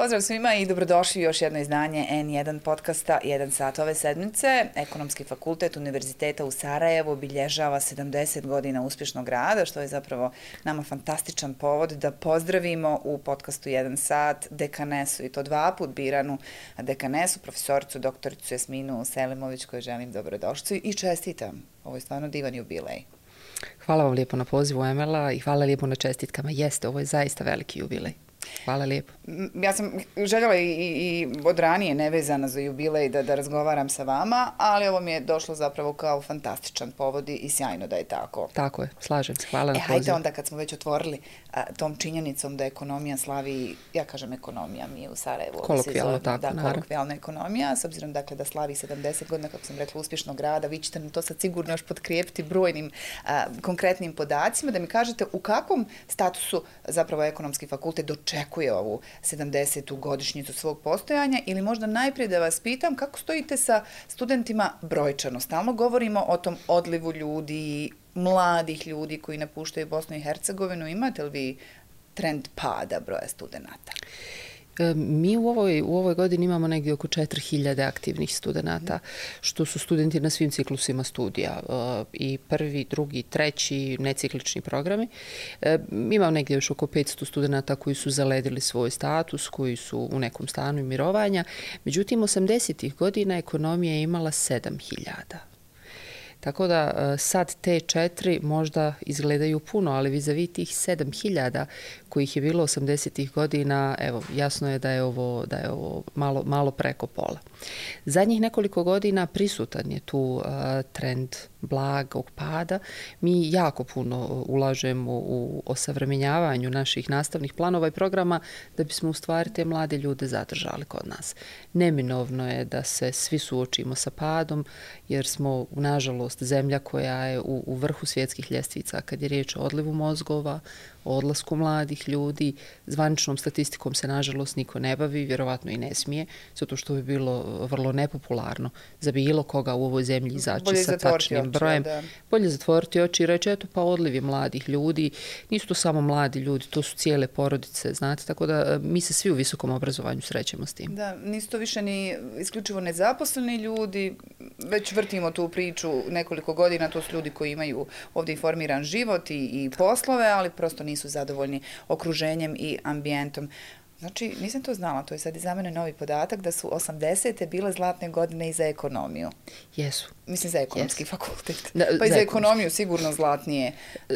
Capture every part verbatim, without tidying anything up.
Pozdrav svima i dobrodošli u još jedno izdanje en jedan podcasta jedan sat ove sedmice. Ekonomski fakultet Univerziteta u Sarajevu obilježava sedamdeset godina uspješnog rada, što je zapravo nama fantastičan povod da pozdravimo u podcastu jedan sat dekanesu, i to dva put biranu dekanesu, profesoricu doktoricu Jasminu Selimović, koju želim dobrodošlicu i čestitam. Ovo je stvarno divan jubilej. Hvala vam lijepo na pozivu, Emela, i hvala lijepo na čestitkama. Jeste, ovo je zaista veliki jubilej. Hvala lijepo. Ja sam željela i, i od ranije nevezana za jubilej da, da razgovaram sa vama, ali ovo mi je došlo zapravo kao fantastičan povod i sjajno da je tako. Tako je, slažem se. Hvala na e, pozivu. Hajde onda kad smo već otvorili a, tom činjenicom da ekonomija slavi, ja kažem ekonomija, mi je u Sarajevu. Kolokvijalno tako, da, naravno. kolokvijalna ekonomija, s obzirom dakle da slavi sedamdeset godina, kako sam rekla, uspješnog rada. Vi ćete nam to sad sigurno još potkrijepiti brojnim a, konkretnim podacima, da mi kažete u kakvom statusu zapravo ekonomski fakultet dočekuje ovu sedamdesetu godišnjicu svog postojanja, ili možda najprije da vas pitam kako stojite sa studentima brojčano. Stalno govorimo o tom odlivu ljudi, mladih ljudi koji napuštaju Bosnu i Hercegovinu. Imate li vi trend pada broja studenata? Mi u ovoj, u ovoj godini imamo negdje oko četiri hiljade aktivnih studenata, što su studenti na svim ciklusima studija, i prvi, drugi, treći, neciklični programi. Imamo negdje još oko petsto studenata koji su zaledili svoj status, koji su u nekom stanu mirovanja. Međutim, osamdesetih godina ekonomija je imala sedam hiljada. Tako da sad te četiri možda izgledaju puno, ali vis-a-vis tih sedam hiljada kojih je bilo osamdesetih godina, evo, jasno je da je ovo, da je ovo malo, malo preko pola. Zadnjih nekoliko godina prisutan je tu uh, trend blagog pada. Mi jako puno ulažemo u osavremenjavanju naših nastavnih planova i programa da bismo u stvari te mlade ljude zadržali kod nas. Neminovno je da se svi suočimo sa padom, jer smo, nažalost, zemlja koja je u, u vrhu svjetskih ljestvica kad je riječ o odlivu mozgova, o odlasku mladih ljudi. Zvaničnom statistikom se, nažalost, niko ne bavi, vjerovatno i ne smije, zato što bi bilo vrlo nepopularno za bilo koga u ovoj zemlji izaći sa tačnim brojem. Da. Bolje zatvoriti oči i reći, eto pa odliv je mladih ljudi. Nisu to samo mladi ljudi, to su cijele porodice, znate, tako da mi se svi u visokom obrazovanju srećemo s tim. Da, nisu to više ni isključivo nezaposleni ljudi, već vrtimo tu priču nekoliko godina, to su ljudi koji imaju ovdje informiran život i, i poslove, ali prosto nisu zadovoljni okruženjem i ambijentom. Znači, nisam to znala, to je sad i za mene novi podatak, da su osamdesete bile zlatne godine i za ekonomiju. Jesu. Mislim, za ekonomski Jesu. fakultet. Da, pa i za, za ekonomiju sigurno zlatnije.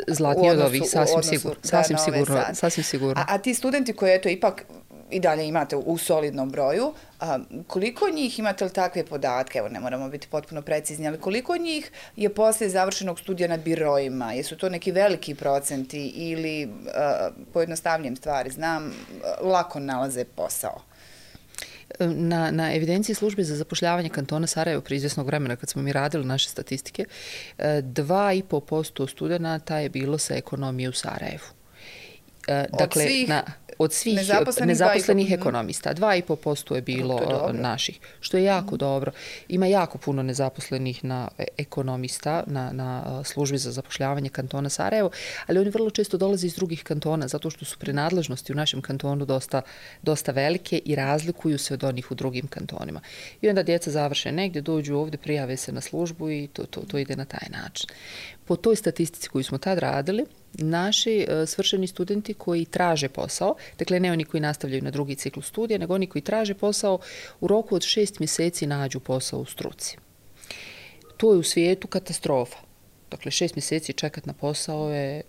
Zlatnije od ovih, sasvim sigurno. Sasvim sigurno, sasvim sigurno. A, a ti studenti koji, eto, ipak i dalje imate u solidnom broju, a, koliko njih, imate li takve podatke, evo ne moramo biti potpuno precizni, ali koliko njih je poslije završenog studija na biroima? Jesu to neki veliki procenti ili, a, pojednostavljujem stvari, znam, lako nalaze posao? Na, na evidenciji službe za zapošljavanje kantona Sarajevo prije izvjesnog vremena, kad smo mi radili naše statistike, dva i pol posto studenata je bilo sa ekonomije u Sarajevu. Dakle, od svih, na, od svih nezaposlenih, nezaposlenih ekonomista. dva i pol posto je bilo je naših, što je jako mm. dobro. Ima jako puno nezaposlenih na ekonomista na, na službi za zapošljavanje kantona Sarajevo, ali oni vrlo često dolaze iz drugih kantona, zato što su prenadležnosti u našem kantonu dosta, dosta velike i razlikuju se od onih u drugim kantonima. I onda djeca završe negdje, dođu ovdje, prijave se na službu i to, to, to ide na taj način. Po toj statistici koju smo tad radili, naši uh, svršeni studenti koji traže posao, dakle ne oni koji nastavljaju na drugi ciklus studija, nego oni koji traže posao, u roku od šest mjeseci nađu posao u struci. To je u svijetu katastrofa. Dakle, šest mjeseci čekat na posao je...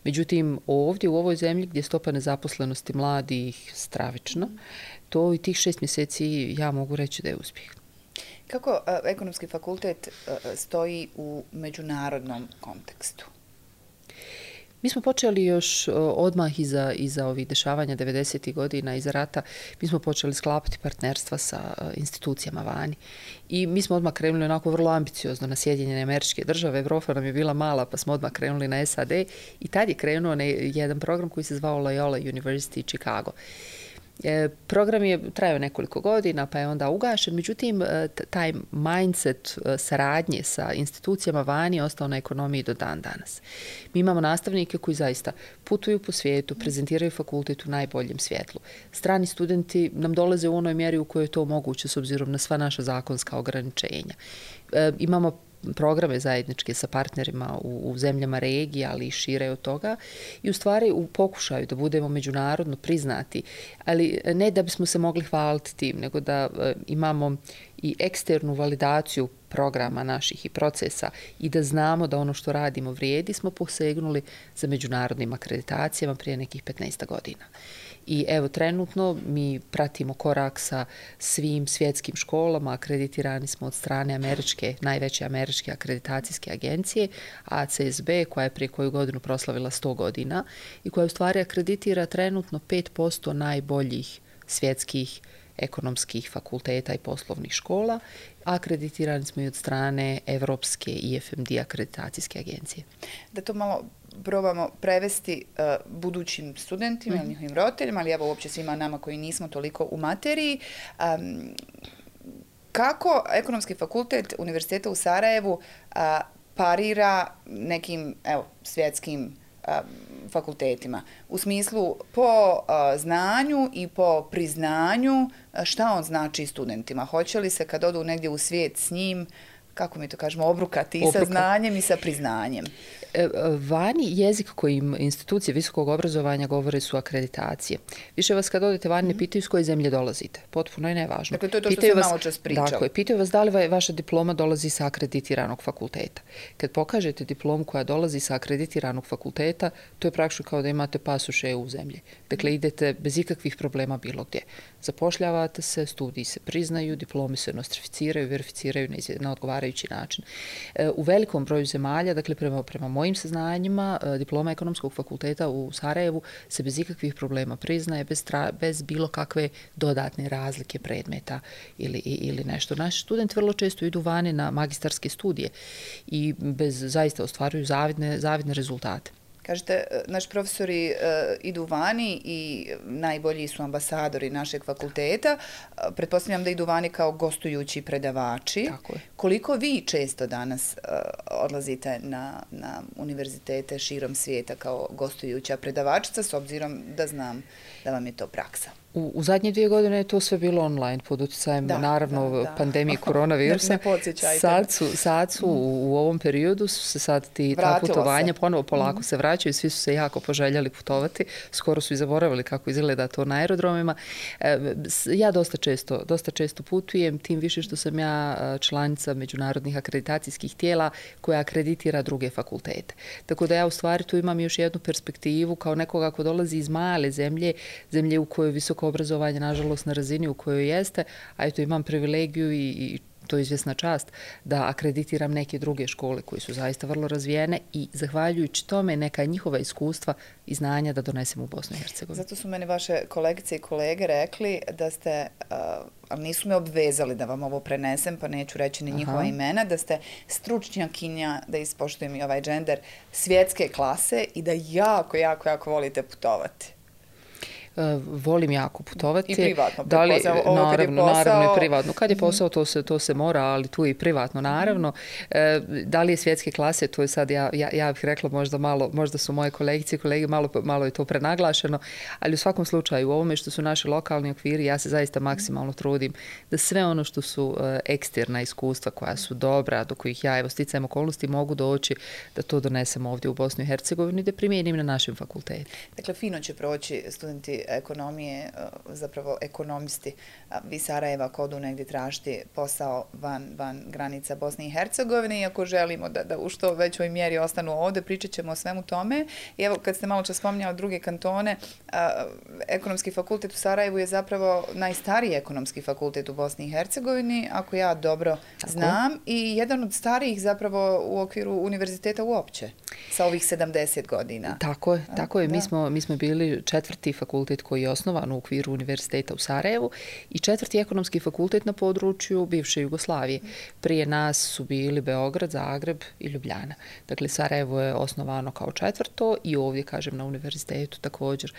Međutim, ovdje u ovoj zemlji gdje je stopa nezaposlenosti mladih stravična, to i tih šest mjeseci ja mogu reći da je uspjeh. Kako uh, ekonomski fakultet uh, stoji u međunarodnom kontekstu? Mi smo počeli još odmah iza, iza ovih dešavanja devedesetih godina, iza rata, mi smo počeli sklapati partnerstva sa institucijama vani. I mi smo odmah krenuli onako vrlo ambiciozno na Sjedinjene Američke Države. Evropa nam je bila mala, pa smo odmah krenuli na S A D i tad je krenuo jedan program koji se zvao Loyola University Chicago. Program je trajao nekoliko godina, pa je onda ugašen, međutim, taj mindset saradnje sa institucijama vani je ostao na ekonomiji do dan danas. Mi imamo nastavnike koji zaista putuju po svijetu, prezentiraju fakultet u najboljem svjetlu. Strani studenti nam dolaze u onoj mjeri u kojoj je to moguće s obzirom na sva naša zakonska ograničenja. Imamo programe zajedničke sa partnerima u, u zemljama regije, ali i šire od toga i u stvari u pokušaju da budemo međunarodno priznati, ali ne da bismo se mogli hvaliti tim, nego da e, imamo i eksternu validaciju programa naših i procesa i da znamo da ono što radimo vrijedi, smo posegnuli za međunarodnim akreditacijama prije nekih petnaest godina. I evo, trenutno mi pratimo korak sa svim svjetskim školama, akreditirani smo od strane američke, najveće američke akreditacijske agencije, A C S B, koja je prije koju godinu proslavila sto godina i koja u stvari akreditira trenutno pet posto najboljih svjetskih ekonomskih fakulteta i poslovnih škola. Akreditirani smo i od strane Evropske I F M D akreditacijske agencije. Da to malo probamo prevesti uh, budućim studentima, mm-hmm. njihovim roditeljima, ali evo uopće svima nama koji nismo toliko u materiji. Um, kako Ekonomski fakultet Univerziteta u Sarajevu uh, parira nekim evo, svjetskim fakultetima. U smislu po a, znanju i po priznanju šta on znači studentima. Hoće li se kad odu negdje u svijet s njim, kako mi to kažemo, obrukati i sa znanjem i sa priznanjem? Vani jezik kojim institucije visokog obrazovanja govore su akreditacije. Više vas kad odete vani ne pitaju s koje zemlje dolazite. Potpuno je nevažno. Dakle, to je to što pitaju sam vas, malo čas pričala. Dakle, pitaju vas da li vaša diploma dolazi sa akreditiranog fakulteta. Kad pokažete diplomu koja dolazi sa akreditiranog fakulteta, to je praktično kao da imate pasoš E U zemlje. Dakle, idete bez ikakvih problema bilo gdje. Zapošljavate se, studiji se priznaju, diplomi se nostrificiraju, verificiraju na odgovarajući način. U velikom broju zemalja, dakle, prema, prema mojim saznanjima, diploma Ekonomskog fakulteta u Sarajevu se bez ikakvih problema priznaje, bez, tra, bez bilo kakve dodatne razlike predmeta ili, ili nešto. Naši studenti vrlo često idu vani na magistarske studije i bez zaista ostvaruju zavidne, zavidne rezultate. Kažete, naši profesori uh, idu vani i najbolji su ambasadori našeg fakulteta. Uh, pretpostavljam da idu vani kao gostujući predavači. Tako je. Koliko vi često danas uh, odlazite na, na univerzitete širom svijeta kao gostujuća predavačica, s obzirom da znam da vam je to praksa? U, u zadnje dvije godine je to sve bilo online pod utjecajem da, naravno da, da. pandemije koronavirusa. Ne, ne podsjećajte. Sad su, sad su u, u ovom periodu su se sad ti ta putovanja se. ponovo polako mm. se vraćaju, svi su se jako poželjeli putovati, skoro su i zaboravili kako izgleda to na aerodromima. E, ja dosta često, dosta često putujem, tim više što sam ja članica međunarodnih akreditacijskih tijela koja akreditira druge fakultete. Tako da ja u stvari tu imam još jednu perspektivu kao nekoga ko dolazi iz male zemlje, zemlje u kojoj visoko obrazovanje, nažalost, na razini u kojoj jeste, a eto imam privilegiju i, i to je izvjesna čast da akreditiram neke druge škole koje su zaista vrlo razvijene i zahvaljujući tome neka njihova iskustva i znanja da donesemo u Bosnu i Hercegovinu. Zato su meni vaše kolegice i kolege rekli da ste, uh, ali nisu me obvezali da vam ovo prenesem, pa neću reći ni njihova Aha. imena, da ste stručnjakinja, da ispoštujem i ovaj džender, svjetske klase i da jako, jako, jako volite putovati. Volim jako putovati. I privatno, da li, ovo naravno, kad je posao... naravno i privatno. Kad je posao, to se, to se mora, ali tu i privatno, naravno. E, da li je svjetske klase, to je sad, ja, ja, ja bih rekla možda malo, možda su moje kolegice i kolege, malo, malo je to prenaglašeno, ali u svakom slučaju, u ovome što su naši lokalni okviri, ja se zaista maksimalno trudim da sve ono što su e, eksterna iskustva koja su dobra, do kojih ja, evo, sticajem okolnosti mogu doći, da to donesem ovdje u Bosnu i Hercegovini i da primijenim na našem fakultetu. Dakle, fino će proći studenti ekonomije, zapravo ekonomisti vi Sarajeva ako odu negdje tražiti posao van, van granica Bosne i Hercegovine i ako želimo da, da u što većoj mjeri ostanu ovdje, pričat ćemo o svemu tome. I evo, kad ste malo čas spominjali druge kantone, a, Ekonomski fakultet u Sarajevu je zapravo najstariji ekonomski fakultet u Bosni i Hercegovini, ako ja dobro Tako. znam, i jedan od starijih zapravo u okviru univerziteta uopće, sa ovih sedamdeset godina. Tako je, tako je. Mi smo, mi smo bili četvrti fakultet fakultet koji je osnovan u okviru univerziteta u Sarajevu i četvrti ekonomski fakultet na području bivše Jugoslavije. Prije nas su bili Beograd, Zagreb i Ljubljana. Dakle, Sarajevo je osnovano kao četvrto i ovdje, kažem, na univerzitetu također.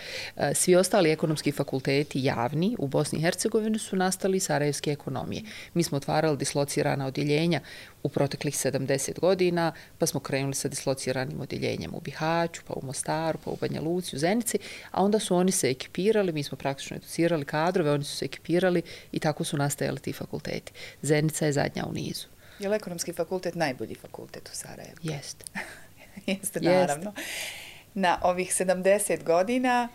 Svi ostali ekonomski fakulteti javni u Bosni i Hercegovini su nastali sarajevske ekonomije. Mi smo otvarali dislocirana odjeljenja u proteklih sedamdeset godina, pa smo krenuli sa dislociranim odjeljenjem u Bihaću, pa u Mostaru, pa u Banja Luci, u Zenici, a onda su oni se ekipirali, mi smo praktično educirali kadrove, oni su se ekipirali i tako su nastajali ti fakulteti. Zenica je zadnja u nizu. Je li ekonomski fakultet najbolji fakultet u Sarajevu? Jeste. Jeste, naravno. Na ovih sedamdeset godina,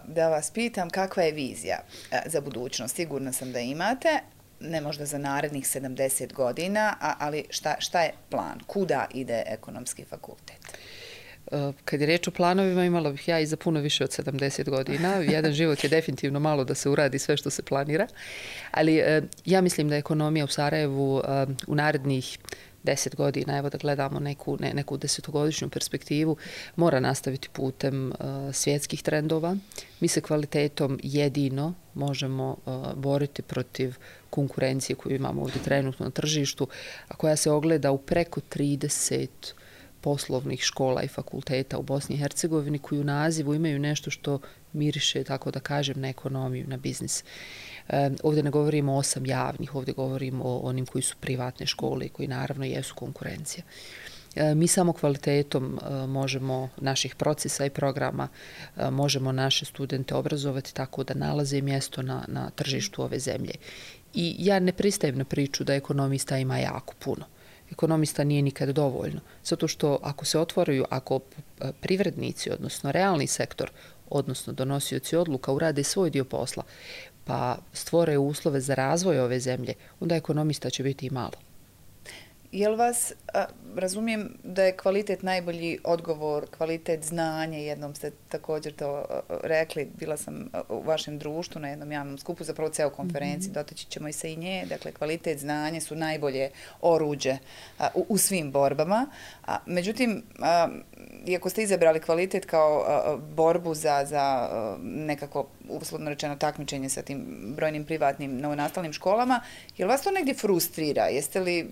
da vas pitam, kakva je vizija za budućnost? Sigurna sam da imate, ne možda za narednih sedamdeset godina, ali šta, šta je plan? Kuda ide ekonomski fakultet? Kad je reč o planovima, imala bih ja i za puno više od sedamdeset godina. Jedan život je definitivno malo da se uradi sve što se planira. Ali ja mislim da ekonomija u Sarajevu u narednih deset godina, evo da gledamo neku, ne, neku desetogodišnju perspektivu, mora nastaviti putem uh, svjetskih trendova. Mi se kvalitetom jedino možemo uh, boriti protiv konkurencije koju imamo ovdje trenutno na tržištu, a koja se ogleda u preko trideset poslovnih škola i fakulteta u Bosni i Hercegovini koji u nazivu imaju nešto što miriše, tako da kažem, na ekonomiju, na biznis. E, ovdje ne govorimo o osam javnih, ovdje govorimo o onim koji su privatne škole i koji naravno jesu konkurencija. E, mi samo kvalitetom e, možemo naših procesa i programa, e, možemo naše studente obrazovati tako da nalaze mjesto na, na tržištu ove zemlje. I ja ne pristajem na priču da ekonomista ima jako puno. Ekonomista nije nikad dovoljno. Zato što ako se otvaraju, ako privrednici, odnosno realni sektor, odnosno donosioci odluka urade svoj dio posla, pa stvore uslove za razvoj ove zemlje, onda ekonomista će biti i malo. Jel vas, a, razumijem da je kvalitet najbolji odgovor, kvalitet znanja, jednom ste također to a, rekli, bila sam u vašem društvu na jednom javnom skupu, zapravo ceo konferenciji, mm-hmm. dotaći ćemo i se i nje, dakle kvalitet znanja su najbolje oruđe a, u, u svim borbama. A, međutim, a, iako ste izabrali kvalitet kao a, borbu za, za a, nekako, uslovno rečeno, takmičenje sa tim brojnim privatnim novonastalim školama, jel vas to negdje frustrira? Jeste li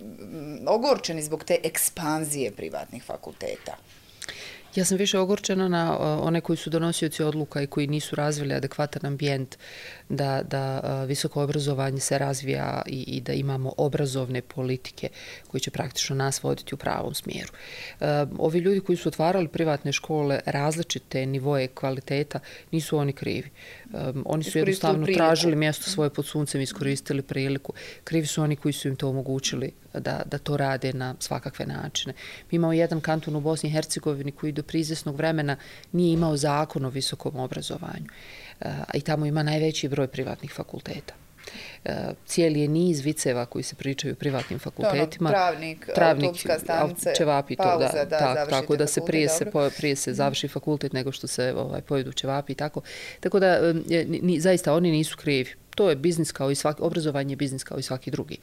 ogorčeni zbog te ekspanzije privatnih fakulteta? Ja sam više ogorčena na one koji su donosioci odluka i koji nisu razvili adekvatan ambijent da, da visoko obrazovanje se razvija i, i da imamo obrazovne politike koji će praktično nas voditi u pravom smjeru. Ovi ljudi koji su otvarali privatne škole, različite nivoje kvaliteta, nisu oni krivi. Oni su jednostavno tražili mjesto svoje pod suncem, iskoristili priliku. Krivi su oni koji su im to omogućili da, da to rade na svakakve načine. Mi imamo jedan kanton u Bosni i Hercegovini koji do prizesnog vremena nije imao zakon o visokom obrazovanju. I tamo ima najveći broj privatnih fakulteta. Cijeli je niz viceva koji se pričaju o privatnim fakultetima. To ono, travnik, travnik autobuska stanice, ćevapi, pauza to, da, da tak, završite tako da se prije, se prije se završi fakultet nego što se ovaj, pojedu ćevapi i tako. Tako da ni, zaista oni nisu krivi. To je biznis kao i svaki, obrazovanje je biznis kao i svaki drugi.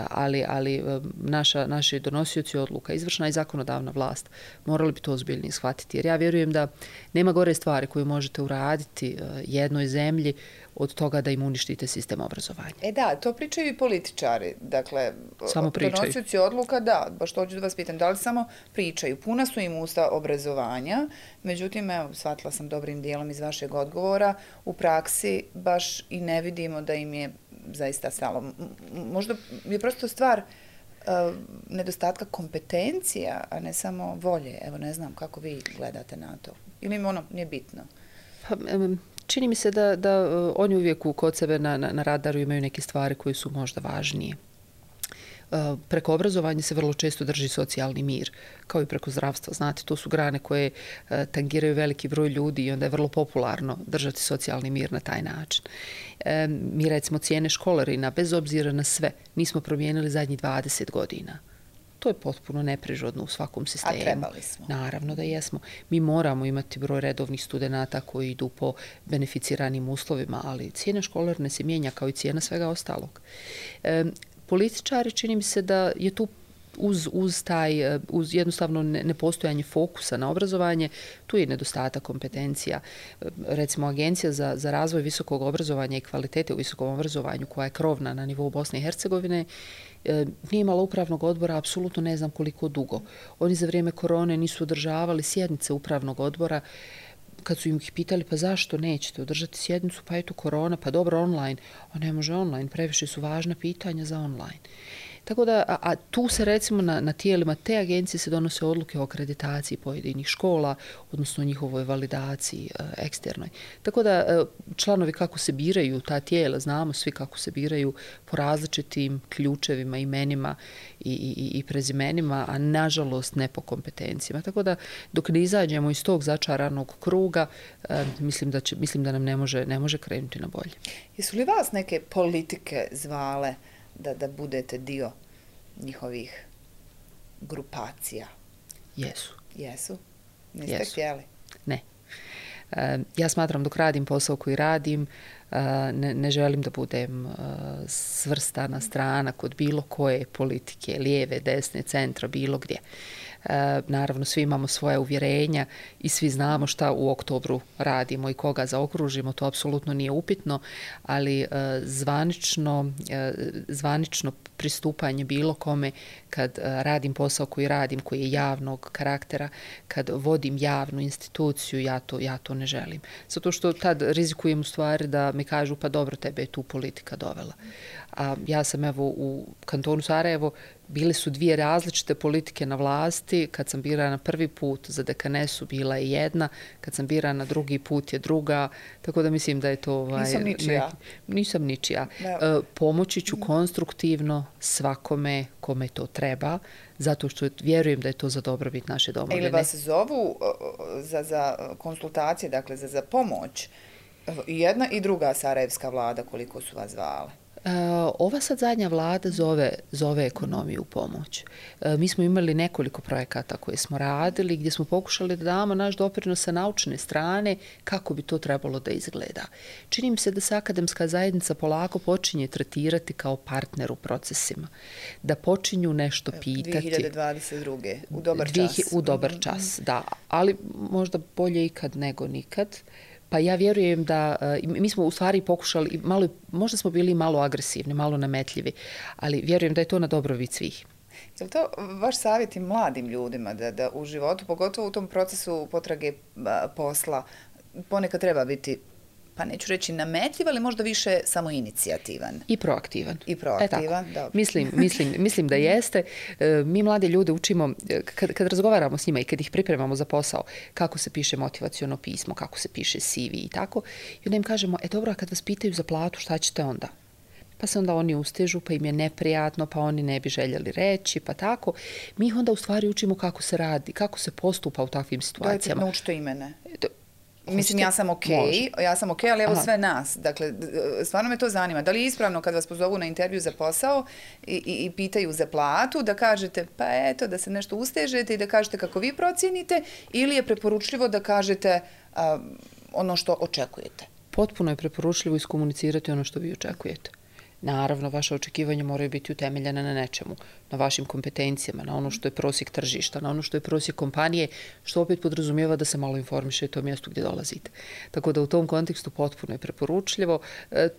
Ali, ali naša, naši donosioci odluka, izvršna i zakonodavna vlast, morali bi to ozbiljnije shvatiti. Jer ja vjerujem da nema gore stvari koje možete uraditi jednoj zemlji od toga da im uništite sistem obrazovanja. E da, to pričaju i političari. Dakle, samo pričaju. Donosioci odluka, da, baš to ću da vas pitam, da li samo pričaju? Puna su im usta obrazovanja, međutim, evo, shvatila sam dobrim dijelom iz vašeg odgovora, u praksi baš i ne vidimo da im je zaista stalo. Možda je prosto stvar uh, nedostatka kompetencija, a ne samo volje. Evo, ne znam kako vi gledate na to. Ili im ono nije bitno? Pa, um, Čini mi se da, da uh, oni uvijek kod sebe na, na, na radaru imaju neke stvari koje su možda važnije. Uh, preko obrazovanja se vrlo često drži socijalni mir, kao i preko zdravstva. Znate, to su grane koje uh, tangiraju veliki broj ljudi i onda je vrlo popularno držati socijalni mir na taj način. E, mi recimo cijene školarina, bez obzira na sve, nismo promijenili zadnjih dvadeset godina. To je potpuno neprirodno u svakom sistemu. A trebali smo. Naravno da jesmo. Mi moramo imati broj redovnih studenata koji idu po beneficiranim uslovima, ali cijena školarine se mijenja kao i cijena svega ostalog. E, političari, čini mi se da je tu uz, uz taj, uz jednostavno nepostojanje fokusa na obrazovanje, tu je nedostatak kompetencija. Recimo, Agencija za, za razvoj visokog obrazovanja i kvalitete u visokom obrazovanju, koja je krovna na nivou Bosne i Hercegovine, nije imala upravnog odbora, apsolutno ne znam koliko dugo. Oni za vrijeme korone nisu održavali sjednice upravnog odbora. Kad su im ih pitali, pa zašto nećete održati sjednicu, pa eto korona, pa dobro online, a ne može online, previše su važna pitanja za online. Tako da, a, a tu se recimo na, na tijelima te agencije se donose odluke o akreditaciji pojedinih škola, odnosno njihovoj validaciji e, eksternoj. Tako da e, članovi kako se biraju ta tijela, znamo svi kako se biraju po različitim ključevima, imenima i, i, i prezimenima, a nažalost ne po kompetencijama. Tako da dok ne izađemo iz tog začaranog kruga, e, mislim, da će, mislim da nam ne može, ne može krenuti na bolje. Jesu li vas neke politike zvale da, da budete dio njihovih grupacija? Jesu. Jesu? Niste Jesu. htjeli? Ne. E, ja smatram dok radim posao koji radim, e, ne, ne želim da budem e, svrstana strana kod bilo koje politike, lijeve, desne, centra, bilo gdje. E, naravno, svi imamo svoje uvjerenja i svi znamo šta u oktobru radimo i koga zaokružimo, to apsolutno nije upitno, ali e, zvanično, e, zvanično pristupanje bilo kome kad e, radim posao koji radim, koji je javnog karaktera, kad vodim javnu instituciju, ja to, ja to ne želim. Zato što tad rizikujem u stvari da mi kažu pa dobro, tebe je tu politika dovela. A ja sam evo u kantonu Sarajevo, bile su dvije različite politike na vlasti. Kad sam birana prvi put za dekanesu bila je jedna, kad sam birana drugi put je druga, tako da mislim da je to... Ovaj, nisam ničija. Neki, nisam ničija. E, pomoći ću konstruktivno svakome kome to treba, zato što vjerujem da je to za dobrobit naše domovine. Ili vas zovu za, za konsultacije, dakle za, za pomoć, jedna i druga sarajevska vlada, koliko su vas zvale? Ova sad zadnja vlada zove, zove ekonomiju u pomoć. Mi smo imali nekoliko projekata koje smo radili, gdje smo pokušali da damo naš doprinos sa naučne strane kako bi to trebalo da izgleda. Čini mi se da se akademska zajednica polako počinje tretirati kao partner u procesima. Da počinju nešto pitati. dvije hiljade dvadeset druge. U dobar čas. U dobar čas, da. Ali možda bolje ikad nego nikad. Pa ja vjerujem da, mi smo u stvari pokušali, malo, možda smo bili malo agresivni, malo nametljivi, ali vjerujem da je to na dobrobit svih. Je li to vaš savjet i mladim ljudima da, da u životu, pogotovo u tom procesu potrage posla, ponekad treba biti, pa neću reći nametljiv, ali možda više samo inicijativan. I proaktivan. I proaktivan, dobro. Mislim, mislim, mislim da jeste. Mi mlade ljude učimo, kad, kad razgovaramo s njima i kad ih pripremamo za posao, kako se piše motivaciono pismo, kako se piše C V i tako, i onda im kažemo, e dobro, a kad vas pitaju za platu, šta ćete onda? Pa se onda oni ustežu, pa im je neprijatno, pa oni ne bi željeli reći, pa tako. Mi ih onda u stvari učimo kako se radi, kako se postupa u takvim situacijama. Dajte, naučite imene. Mislim, ja sam okej, okay, ja sam okej, okay, ali evo Aha. sve nas. Dakle, stvarno me to zanima. Da li je ispravno kad vas pozovu na intervju za posao i, i, i pitaju za platu, da kažete, pa eto, da se nešto ustežete i da kažete kako vi procijenite, ili je preporučljivo da kažete a, ono što očekujete? Potpuno je preporučljivo iskomunicirati ono što vi očekujete. Naravno, vaše očekivanja moraju biti utemeljene na nečemu, na vašim kompetencijama, na ono što je prosjek tržišta, na ono što je prosjek kompanije, što opet podrazumijeva da se malo informišete o mjestu gdje dolazite. Tako da u tom kontekstu potpuno je preporučljivo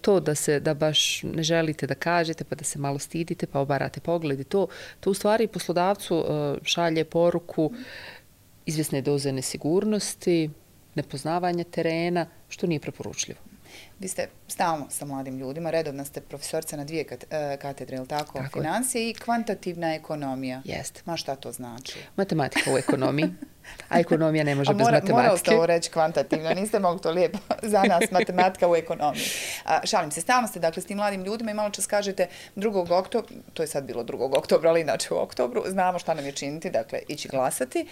to da se, da baš ne želite da kažete, pa da se malo stidite, pa obarate pogledi. To, to u stvari poslodavcu šalje poruku izvjesne doze nesigurnosti, nepoznavanja terena, što nije preporučljivo. Vi ste stalno sa mladim ljudima, redovna ste profesorca na dvije katedre, ili tako? tako Financije i kvantitativna ekonomija. Jeste. Ma šta to znači? Matematika u ekonomiji. A ekonomija ne može mora, bez matematike. Morali ste ovo reći kvantitativno, niste mogli to lijepo za nas, matematika u ekonomiji. A, šalim se, stalno ste dakle s tim mladim ljudima i malo čas kažete drugog oktobra, to je sad bilo drugog oktobra, ali inače u oktobru, znamo šta nam je činiti, dakle ići glasati.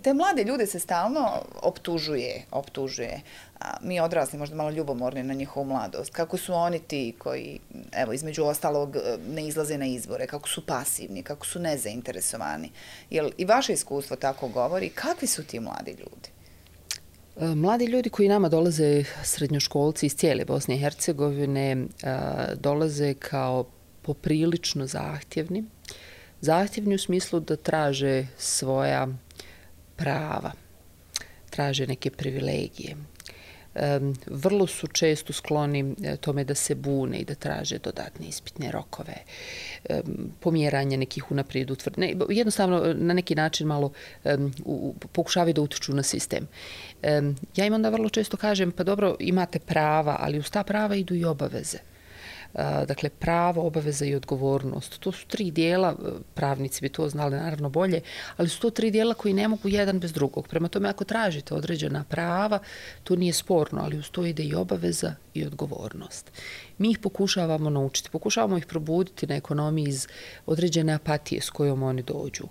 Te mlade ljude se stalno optužuje, optužuje. A, mi odrasli možda malo ljubomorni na njihovu mladost. Kako su oni ti koji, evo, između ostalog ne izlaze na izbore, kako su pasivni, kako su nezainteresovani. Jel i vaše iskustvo tako govori? Kakvi su ti mladi ljudi? Mladi ljudi koji nama dolaze, srednjoškolci iz cijele Bosne i Hercegovine, dolaze kao poprilično zahtjevni, Zahtjevni u smislu da traže svoja prava, traže neke privilegije. Um, vrlo su često skloni tome da se bune i da traže dodatne ispitne rokove, um, pomjeranje nekih unaprijed utvrđenih, jednostavno na neki način malo um, u, pokušavaju da utiču na sistem. Um, ja im onda vrlo često kažem, pa dobro, imate prava, ali uz ta prava idu i obaveze. Dakle, pravo, obaveza i odgovornost. To su tri dijela, pravnici bi to znali naravno bolje, ali su to tri dijela koji ne mogu jedan bez drugog. Prema tome, ako tražite određena prava, to nije sporno, ali uz to ide i obaveza i odgovornost. Mi ih pokušavamo naučiti, pokušavamo ih probuditi na ekonomiji iz određene apatije s kojom oni dođu.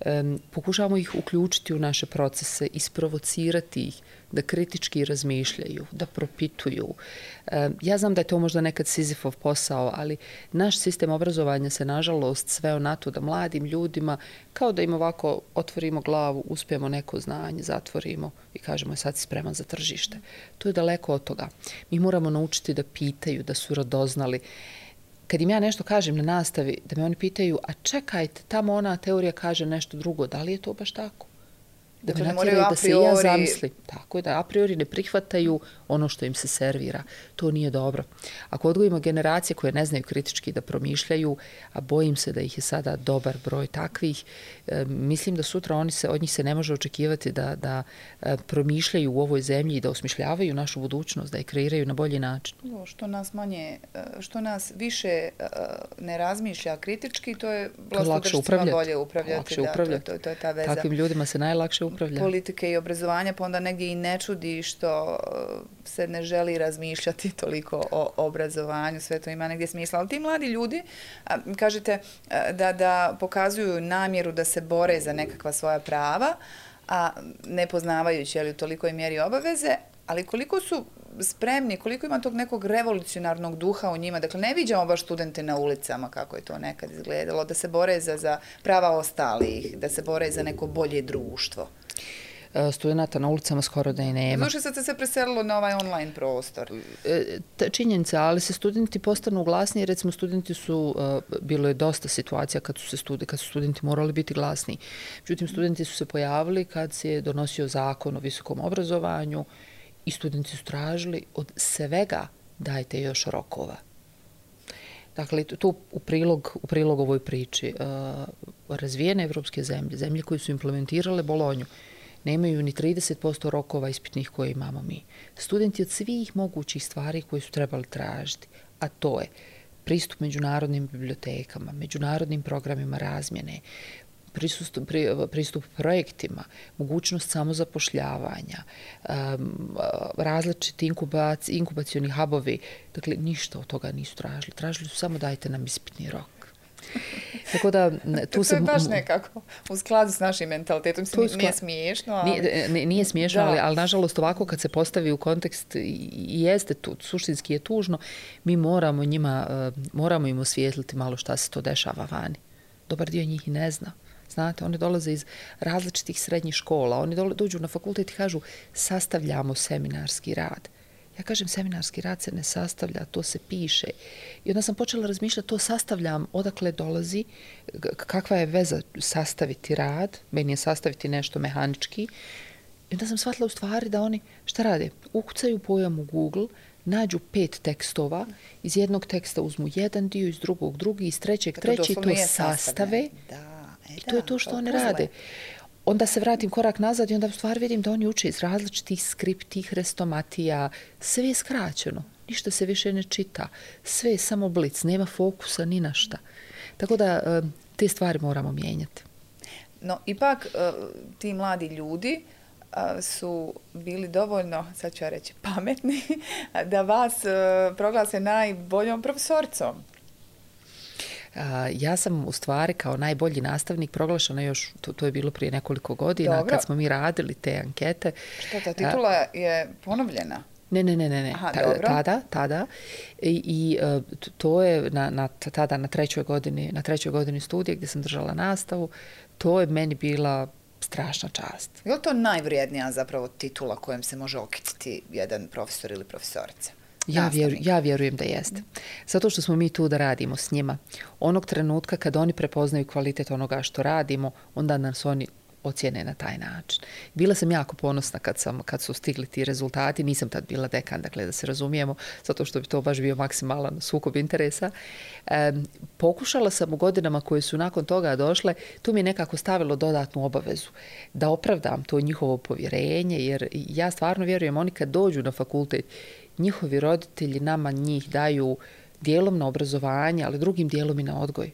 Um, pokušavamo ih uključiti u naše procese, isprovocirati ih da kritički razmišljaju, da propituju. Um, ja znam da je to možda nekad Sizifov posao, ali naš sistem obrazovanja se nažalost sveo na to da mladim ljudima, kao da im ovako otvorimo glavu, uspijemo neko znanje, zatvorimo i kažemo sad si spreman za tržište. To je daleko od toga. Mi moramo naučiti da pitaju, da su radoznali. Kad im ja nešto kažem na nastavi, da me oni pitaju, a čekajte, tamo ona teorija kaže nešto drugo, da li je to baš tako? Da me natjeraju da se ja zamislim. Tako je, da a priori ne prihvataju ono što im se servira. To nije dobro. Ako odgojimo generacije koje ne znaju kritički da promišljaju, a bojim se da ih je sada dobar broj takvih, e, mislim da sutra oni se, od njih se ne može očekivati da, da e, promišljaju u ovoj zemlji i da osmišljavaju našu budućnost, da je kreiraju na bolji način. Što nas manje, što nas više ne razmišlja kritički, to je vlastodržcima bolje upravljati. Lakše upravljati. Da, to, to, to je ta veza. Takvim ljudima se najlakše upravlja. Politike i obrazovanja, pa onda negdje i ne čudi što se ne želi razmišljati toliko o obrazovanju, sve to ima negdje smisla. Ali ti mladi ljudi, kažete da, da pokazuju namjeru da se bore za nekakva svoja prava, a ne poznavajući ali u tolikoj mjeri obaveze, ali koliko su spremni, koliko ima tog nekog revolucionarnog duha u njima. Dakle, ne viđamo baš studente na ulicama kako je to nekad izgledalo, da se bore za, za prava ostalih, da se bore za neko bolje društvo. Studenata na ulicama skoro da i nema. Slušaj, sad se preselilo na ovaj online prostor. Činjenica, ali se studenti postanu glasniji. Recimo, studenti su, bilo je dosta situacija kad su, se studi, kad su studenti morali biti glasniji. Međutim, studenti su se pojavili kad se je donosio zakon o visokom obrazovanju i studenti su tražili od svega dajte još rokova. Dakle, to u prilog, u prilog ovoj priči. Razvijene evropske zemlje, zemlje koje su implementirale Bolonju, nemaju ni trideset posto rokova ispitnih koje imamo mi. Studenti od svih mogućih stvari koje su trebali tražiti, a to je pristup međunarodnim bibliotekama, međunarodnim programima razmjene, pristup, pristup projektima, mogućnost samozapošljavanja, um, različiti inkubac, inkubacioni hubovi. Dakle, ništa od toga nisu tražili. Tražili su samo dajte nam ispitni rok. Tako da, tu to se... je baš nekako u skladu s našim mentalitetom. Skla... Nije smiješno, ali... Nije, nije smiješno, ali, ali nažalost ovako kad se postavi u kontekst i jeste tu, suštinski je tužno, mi moramo njima, moramo im osvijetliti malo šta se to dešava vani. Dobar dio njih i ne zna. Znate, oni dolaze iz različitih srednjih škola, oni dođu na fakultet i kažu sastavljamo seminarski rad. Ja kažem, seminarski rad se ne sastavlja, to se piše. I onda sam počela razmišljati, to sastavljam, odakle dolazi, kakva je veza sastaviti rad, meni je sastaviti nešto mehanički. I onda sam shvatila u stvari da oni, šta rade? Ukucaju pojam u Google, nađu pet tekstova, iz jednog teksta uzmu jedan dio, iz drugog drugi, iz trećeg treći, to sastave. Da, e, I to je to što oni rade. Onda se vratim korak nazad i onda u stvari vidim da oni uče iz različitih skripti, hrestomatija, sve je skraćeno, ništa se više ne čita, sve je samo blic, nema fokusa ni na šta. Tako da te stvari moramo mijenjati. No, ipak ti mladi ljudi su bili dovoljno, sad ću ja reći, pametni, da vas proglase najboljom profesorcom. Ja sam u stvari kao najbolji nastavnik proglašena još, to, to je bilo prije nekoliko godina, Dobro. Kad smo mi radili te ankete. Što, ta titula je ponovljena? Ne, ne, ne, ne. Aha, Ta, dobro. tada, tada. I, i to je na, na, tada na trećoj godini, na trećoj godini studija gdje sam držala nastavu, to je meni bila strašna čast. Je li to najvrijednija zapravo titula kojom se može okititi jedan profesor ili profesorica? Ja, vjeru, nastavnika? ja vjerujem da jeste. Zato što smo mi tu da radimo s njima. Onog trenutka kad oni prepoznaju kvalitet onoga što radimo, onda nas oni ocjene na taj način. Bila sam jako ponosna kad, sam, kad su stigli ti rezultati. Nisam tad bila dekan, dakle da se razumijemo, zato što bi to baš bio maksimalan sukob interesa. E, pokušala sam u godinama koje su nakon toga došle, tu mi je nekako stavilo dodatnu obavezu da opravdam to njihovo povjerenje, jer ja stvarno vjerujem, oni kad dođu na fakultet, njihovi roditelji nama njih daju dijelom na obrazovanje, ali drugim dijelom i na odgoj.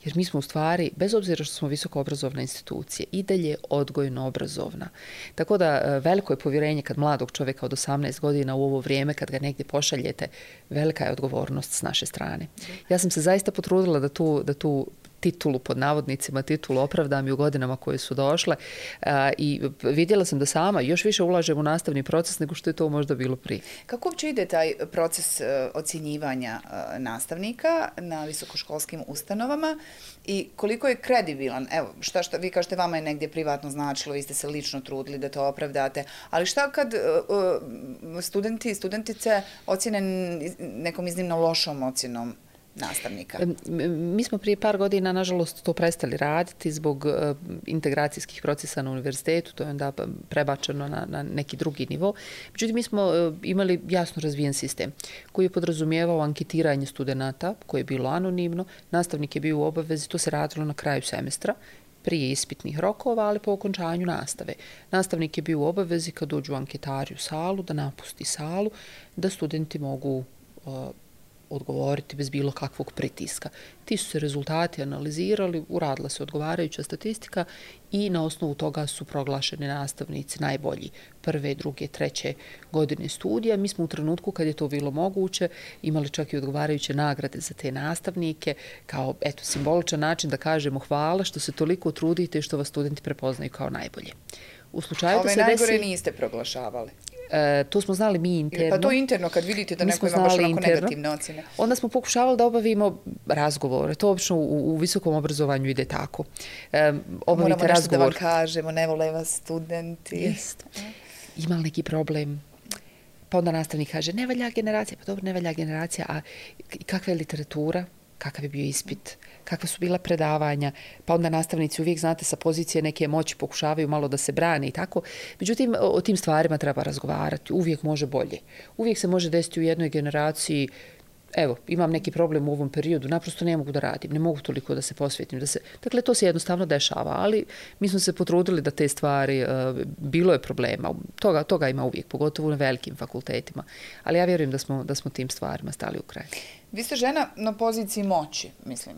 Jer mi smo u stvari, bez obzira što smo visoko obrazovna institucija, i dalje odgojno obrazovna. Tako da veliko je povjerenje kad mladog čovjeka od osamnaest godina u ovo vrijeme, kad ga negdje pošaljete, velika je odgovornost s naše strane. Ja sam se zaista potrudila da tu, da tu titulu, pod navodnicima, titulu opravdam i u godinama koje su došle a, i vidjela sam da sama još više ulažem u nastavni proces nego što je to možda bilo prije. Kako uopće ide taj proces uh, ocjenjivanja uh, nastavnika na visokoškolskim ustanovama i koliko je kredibilan? Evo, šta, šta, vi kažete vama je negdje privatno značilo, vi ste se lično trudili da to opravdate, ali šta kad uh, uh, studenti i studentice ocjene nekom iznimno lošom ocjenom nastavnika? Mi smo prije par godina, nažalost, to prestali raditi zbog uh, integracijskih procesa na univerzitetu, to je onda prebačeno na, na neki drugi nivo. Međutim, mi smo uh, imali jasno razvijen sistem koji je podrazumijevao anketiranje studenata, koje je bilo anonimno, nastavnik je bio u obavezi, to se radilo na kraju semestra, prije ispitnih rokova, ali po okončanju nastave. Nastavnik je bio u obavezi kad dođu anketari u salu, da napusti salu, da studenti mogu uh, odgovoriti bez bilo kakvog pritiska. Ti su se rezultati analizirali, uradila se odgovarajuća statistika i na osnovu toga su proglašeni nastavnici najbolji prve, druge, treće godine studija. Mi smo u trenutku kad je to bilo moguće imali čak i odgovarajuće nagrade za te nastavnike kao eto simboličan način da kažemo hvala što se toliko trudite i što vas studenti prepoznaju kao najbolje. U slučaju Ove da se najgore desi, niste proglašavali? E, to smo znali mi interno. Pa to interno, kad vidite da neko ima baš onako negativne ocjene. Onda smo pokušavali da obavimo razgovore. To obično u, u visokom obrazovanju ide tako. E, Moramo nešto razgovor. da vam kažemo, ne vole vas studenti. Jest. Ima li neki problem? Pa onda nastavnik kaže, ne valja generacija. Pa dobro, ne valja generacija. A kakva je literatura? Kakav je bio ispit? Kakva su bila predavanja? Pa onda nastavnici uvijek, znate, sa pozicije neke moći pokušavaju malo da se brane i tako. Međutim, o tim stvarima treba razgovarati. Uvijek može bolje. Uvijek se može desiti u jednoj generaciji, evo, imam neki problem u ovom periodu, naprosto ne mogu da radim, ne mogu toliko da se posvetim. Da se... Dakle, to se jednostavno dešava, ali mi smo se potrudili da te stvari, uh, bilo je problema, toga, toga ima uvijek, pogotovo na velikim fakultetima, ali ja vjerujem da smo, da smo tim stvarima stali u kraj. Vi ste žena na poziciji moći, mislim,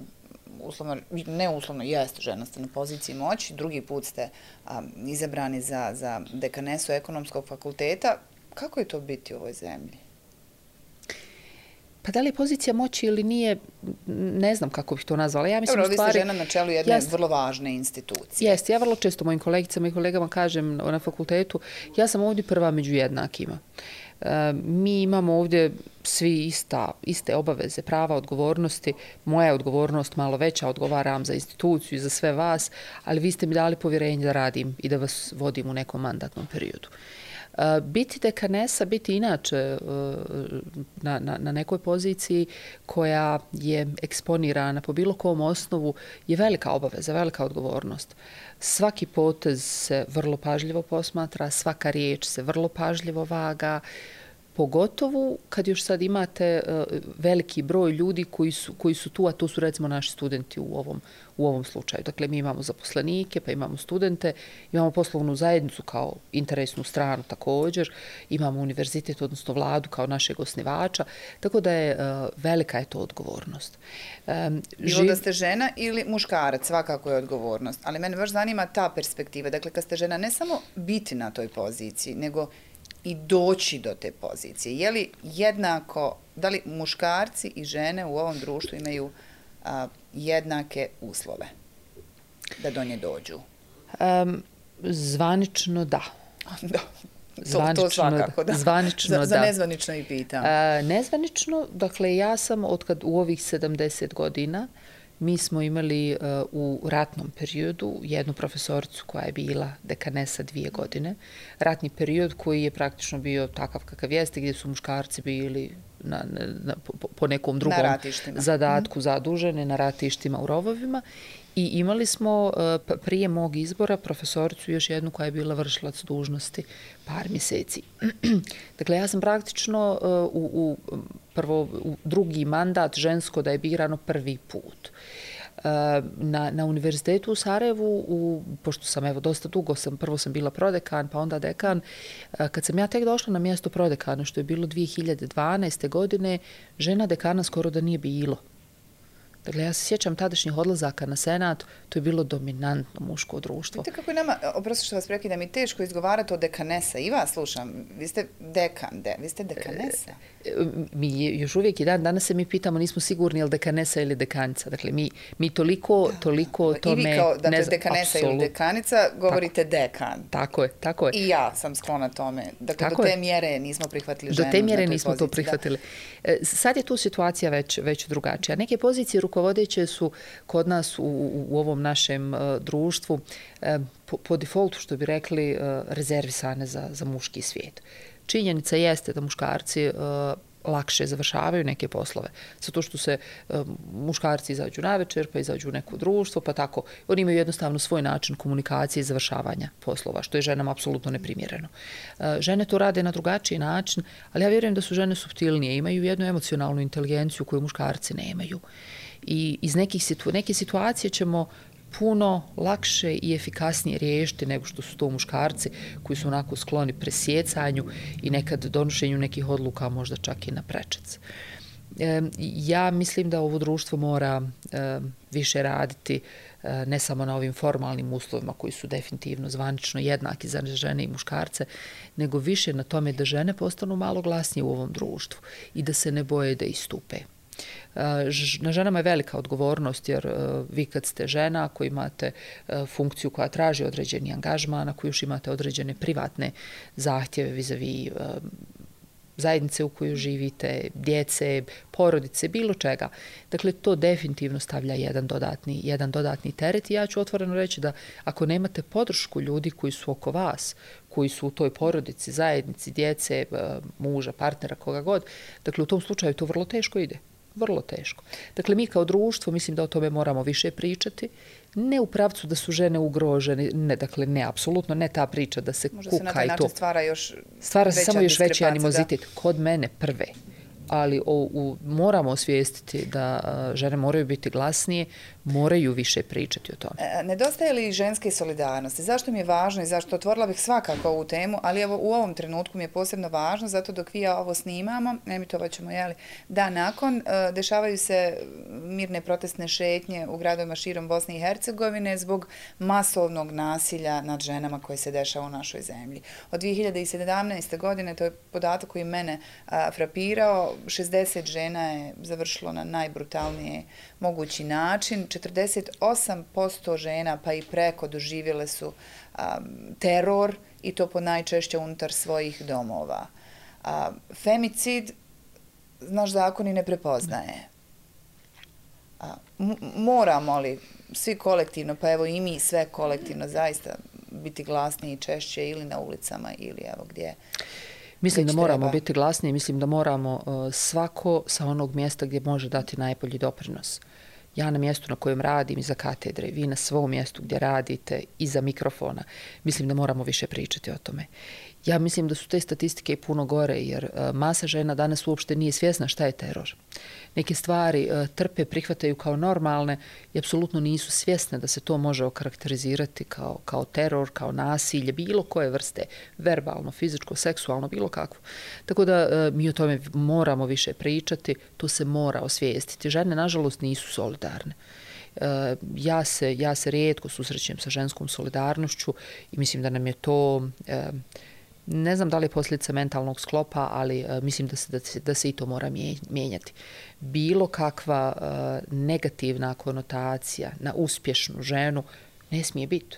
uslovno, ne uslovno, jeste žena ste na poziciji moći, drugi put ste a, izabrani za, za dekanesu ekonomskog fakulteta. Kako je to biti u ovoj zemlji? Pa da li je pozicija moći ili nije, ne znam kako bih to nazvala. Ja mislim, Dobro, u stvari, vi ste žena na čelu jedne jest, vrlo važne institucije. Jeste, ja vrlo često mojim kolegicama i kolegama kažem na fakultetu, ja sam ovdje prva među jednakima. E, mi imamo ovdje svi ista, iste obaveze, prava, odgovornosti. Moja je odgovornost malo veća, odgovaram za instituciju i za sve vas, ali vi ste mi dali povjerenje da radim i da vas vodim u nekom mandatnom periodu. Biti dekanesa, biti inače na, na, na nekoj poziciji koja je eksponirana po bilo kom osnovu je velika obaveza, velika odgovornost. Svaki potez se vrlo pažljivo posmatra, svaka riječ se vrlo pažljivo vaga, pogotovo kad još sad imate uh, veliki broj ljudi koji su, koji su tu, a to su recimo naši studenti u ovom, u ovom slučaju. Dakle, mi imamo zaposlenike, pa imamo studente, imamo poslovnu zajednicu kao interesnu stranu također, imamo univerzitet, odnosno vladu kao našeg osnivača, tako da je uh, velika je to odgovornost. Um, Bilo živ... da ste žena ili muškarac, svakako je odgovornost, ali mene baš zanima ta perspektiva. Dakle, kad ste žena, ne samo biti na toj poziciji, nego i doći do te pozicije. Je li jednako, da li muškarci i žene u ovom društvu imaju a, jednake uslove da do nje dođu? Um, zvanično da. Da. To, to svakako, da. Zvanično, za, da. Za nezvanično i pitam. Uh, nezvanično, dakle, ja sam otkad u ovih sedamdeset godina Mi smo imali u ratnom periodu jednu profesoricu koja je bila dekanesa dvije godine. Ratni period koji je praktično bio takav kakav jeste, gdje su muškarci bili na, na, po, po nekom drugom zadatku zadužene na ratištima u rovovima. I imali smo prije mog izbora profesoricu još jednu koja je bila vršilac dužnosti par mjeseci. Dakle, ja sam praktično u, u, prvo, u drugi mandat žensko da je birano prvi put. Na, na univerzitetu u Sarajevu, u, pošto sam evo dosta dugo, sam, prvo sam bila prodekan, pa onda dekan, kad sam ja tek došla na mjesto prodekana, što je bilo dvije hiljade dvanaeste. godine, žena dekana skoro da nije bilo. Dakle, ja se sjećam tadašnjih odlazaka na senat, to je bilo dominantno muško društvo. Vidite kako je nama, oprosti što vas prekidam, i teško izgovarati o dekanesa. I vas slušam, vi ste dekan, de, vi ste dekanesa. Mi još uvijek i dan danas se mi pitamo, nismo sigurni je li dekanesa ili dekanica. Dakle, mi, mi toliko, toliko da, tome... I vi kao, dakle, ne znam, dekanesa absolut, ili dekanica, govorite tako, dekan. Tako je, tako je. I ja sam sklona tome. Dakle, tako do te je. mjere nismo prihvatili ženu. Do te mjere na nismo poziciji, to prihvatili. Da. Sad je tu situacija već, već drugačija. Neke pozicije rukovodeće su kod nas u, u, u ovom našem uh, društvu uh, po, po defaultu, što bi rekli, uh, rezervisane za, za muški svijet. Činjenica jeste da muškarci uh, lakše završavaju neke poslove. Zato što se uh, muškarci izađu na večer, pa izađu u neko društvo, pa tako. Oni imaju jednostavno svoj način komunikacije i završavanja poslova, što je ženama apsolutno neprimjereno. Uh, žene to rade na drugačiji način, ali ja vjerujem da su žene suptilnije, imaju jednu emocionalnu inteligenciju koju muškarci nemaju. I iz nekih situ, neke situacije ćemo puno lakše i efikasnije riješiti nego što su to muškarci koji su onako skloni presjecanju i nekad donošenju nekih odluka možda čak i na prečac. E, ja mislim da ovo društvo mora e, više raditi e, ne samo na ovim formalnim uslovima koji su definitivno zvanično jednaki za žene i muškarce, nego više na tome da žene postanu malo glasnije u ovom društvu i da se ne boje da istupe. Na ženama je velika odgovornost, jer vi kad ste žena, ako imate funkciju koja traži određeni angažman, ako još imate određene privatne zahtjeve vis-a-vis zajednice u kojoj živite, djece, porodice, bilo čega. Dakle, to definitivno stavlja jedan dodatni, jedan dodatni teret i ja ću otvoreno reći da ako nemate podršku ljudi koji su oko vas, koji su u toj porodici, zajednici, djece, muža, partnera, koga god, dakle, u tom slučaju to vrlo teško ide. Vrlo teško. Dakle, mi kao društvo mislim da o tome moramo više pričati. Ne u pravcu da su žene ugrožene, ne, dakle, ne, apsolutno ne ta priča da se možda kuka i to. Možda se na taj način stvara još Stvara se samo još veći animozitet. Da. Kod mene prve. Ali o, u, moramo osvijestiti da a, žene moraju biti glasnije, moraju više pričati o tome. E, nedostaje li ženske solidarnosti? Zašto mi je važno i zašto otvorila bih svakako ovu temu, ali evo u ovom trenutku mi je posebno važno, zato dok vi ja ovo snimamo, emitovat ćemo, jeli, da nakon e, dešavaju se mirne protestne šetnje u gradovima širom Bosne i Hercegovine zbog masovnog nasilja nad ženama koje se dešava u našoj zemlji. Od dvije hiljade sedamnaeste. godine, to je podatak koji mene a, frapirao, šezdeset žena je završilo na najbrutalnije mogući način. četrdeset osam posto žena pa i preko doživjele su um, teror i to po najčešće unutar svojih domova. Um, femicid naš zakon i ne prepoznaje. Um, moramo li svi kolektivno, pa evo i mi sve kolektivno zaista biti glasniji češće ili na ulicama ili evo gdje? Mislim da moramo treba. biti glasniji, mislim da moramo uh, svako sa onog mjesta gdje može dati najbolji doprinos. Ja na mjestu na kojem radim iza katedre, vi na svom mjestu gdje radite iza mikrofona, mislim da moramo više pričati o tome. Ja mislim da su te statistike puno gore, jer uh, masa žena danas uopšte nije svjesna šta je teror. Neke stvari uh, trpe, prihvataju kao normalne i apsolutno nisu svjesne da se to može okarakterizirati kao, kao teror, kao nasilje, bilo koje vrste, verbalno, fizičko, seksualno, bilo kakvo. Tako da uh, mi o tome moramo više pričati, to se mora osvijestiti. Žene, nažalost, nisu solidarne. Uh, ja, se, ja se rijetko susrećem sa ženskom solidarnošću i mislim da nam je to... Uh, Ne znam da li je posljedica mentalnog sklopa, ali uh, mislim da se, da, se, da se i to mora mijenjati. Bilo kakva uh, negativna konotacija na uspješnu ženu ne smije biti.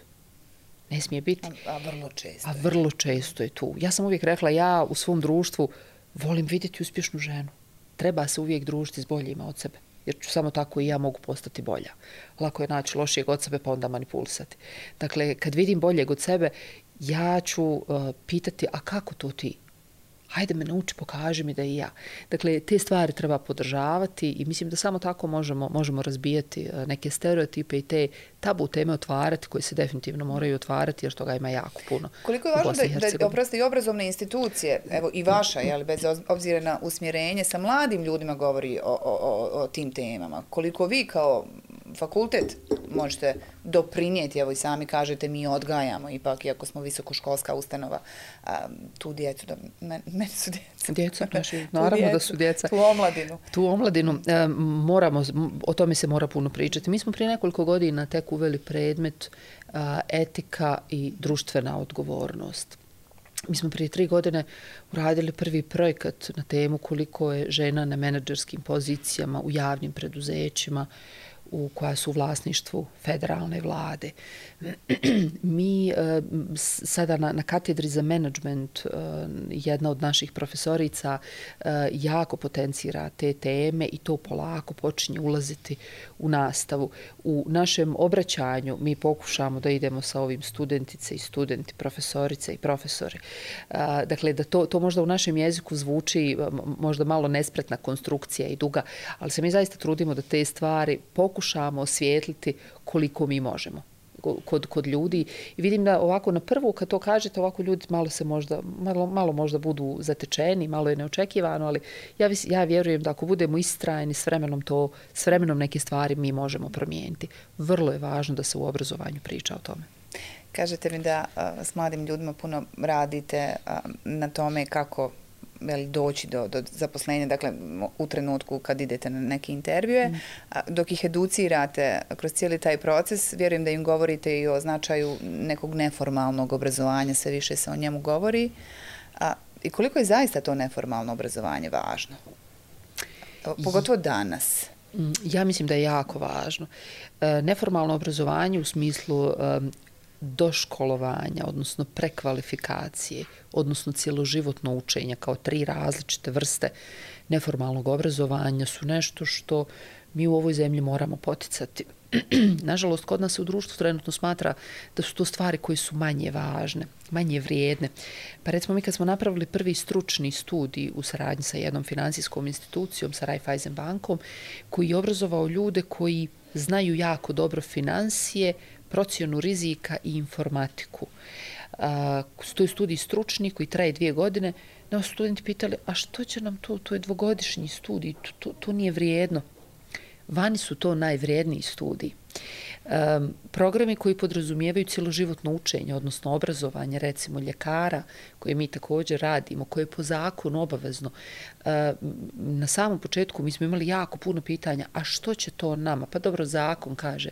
Ne smije biti. A, a vrlo često. A vrlo često je tu. Ja sam uvijek rekla, ja u svom društvu volim vidjeti uspješnu ženu. Treba se uvijek družiti s boljima od sebe. jer ću samo tako i ja mogu postati bolja. Lako je naći lošijeg od sebe pa onda manipulisati. Dakle, kad vidim boljeg od sebe, ja ću uh, pitati, a kako to ti? Hajde me nauči, pokaži mi da i ja. Dakle, te stvari treba podržavati i mislim da samo tako možemo, možemo razbijati neke stereotipe i te tabu teme otvarati koje se definitivno moraju otvarati jer toga ima jako puno. Koliko je važno da, da oprosti i obrazovne institucije, evo i vaša, jel, bez obzira na usmjerenje, sa mladim ljudima govori o, o, o, o tim temama. Koliko vi kao fakultet možete doprinijeti, evo i sami kažete, mi odgajamo, ipak, iako smo visokoškolska ustanova, a, tu djecu, da, meni men su djeca. Djeca, naši, naravno djecu, da su djeca. Tu omladinu. Tu omladinu, e, moramo, o tome se mora puno pričati. Mi smo prije nekoliko godina tek uveli predmet a, etika i društvena odgovornost. Mi smo prije tri godine uradili prvi projekat na temu koliko je žena na menadžerskim pozicijama u javnim preduzećima u koja su u vlasništvu federalne vlade. Mi e, sada na, na katedri za menadžment e, jedna od naših profesorica e, jako potencira te teme i to polako počinje ulaziti u nastavu. U našem obraćanju mi pokušamo da idemo sa ovim studentice i studenti, profesorice i profesori. E, dakle, da to, to možda u našem jeziku zvuči možda malo nespretna konstrukcija i duga, ali se mi zaista trudimo da te stvari pokušamo pokušamo osvijetliti koliko mi možemo kod, kod ljudi. I vidim da ovako na prvu kad to kažete, ovako ljudi malo se možda, malo, malo možda budu zatečeni, malo je neočekivano, ali ja, ja vjerujem da ako budemo istrajni s vremenom to, s vremenom neke stvari mi možemo promijeniti. Vrlo je važno da se u obrazovanju priča o tome. Kažete mi da a, s mladim ljudima puno radite a, na tome kako veli, doći do, do zaposlenja, dakle u trenutku kad idete na neke intervjue, mm. dok ih educirate kroz cijeli taj proces, vjerujem da im govorite i o značaju nekog neformalnog obrazovanja, sve više se o njemu govori. A, i koliko je zaista to neformalno obrazovanje važno? Pogotovo danas. Ja mislim da je jako važno. E, neformalno obrazovanje u smislu e, doškolovanja, odnosno prekvalifikacije, odnosno cjeloživotno učenja kao tri različite vrste neformalnog obrazovanja su nešto što mi u ovoj zemlji moramo poticati. Nažalost, kod nas se u društvu trenutno smatra da su to stvari koje su manje važne, manje vrijedne. Pa recimo mi kad smo napravili prvi stručni studij u saradnji sa jednom finansijskom institucijom, sa Raiffeisen bankom, koji je obrazovao ljude koji znaju jako dobro financije, procjenu rizika i informatiku. A, to je studij stručni koji traje dvije godine. Nas studenti pitali, a što će nam to? To je dvogodišnji studij, to, to, to nije vrijedno. Vani su to najvrijedniji studiji. Um, programi koji podrazumijevaju cjeloživotno učenje, odnosno obrazovanje, recimo ljekara, koje mi također radimo, koje je po zakonu obavezno. Um, na samom početku mi smo imali jako puno pitanja, a što će to nama? Pa dobro, zakon kaže.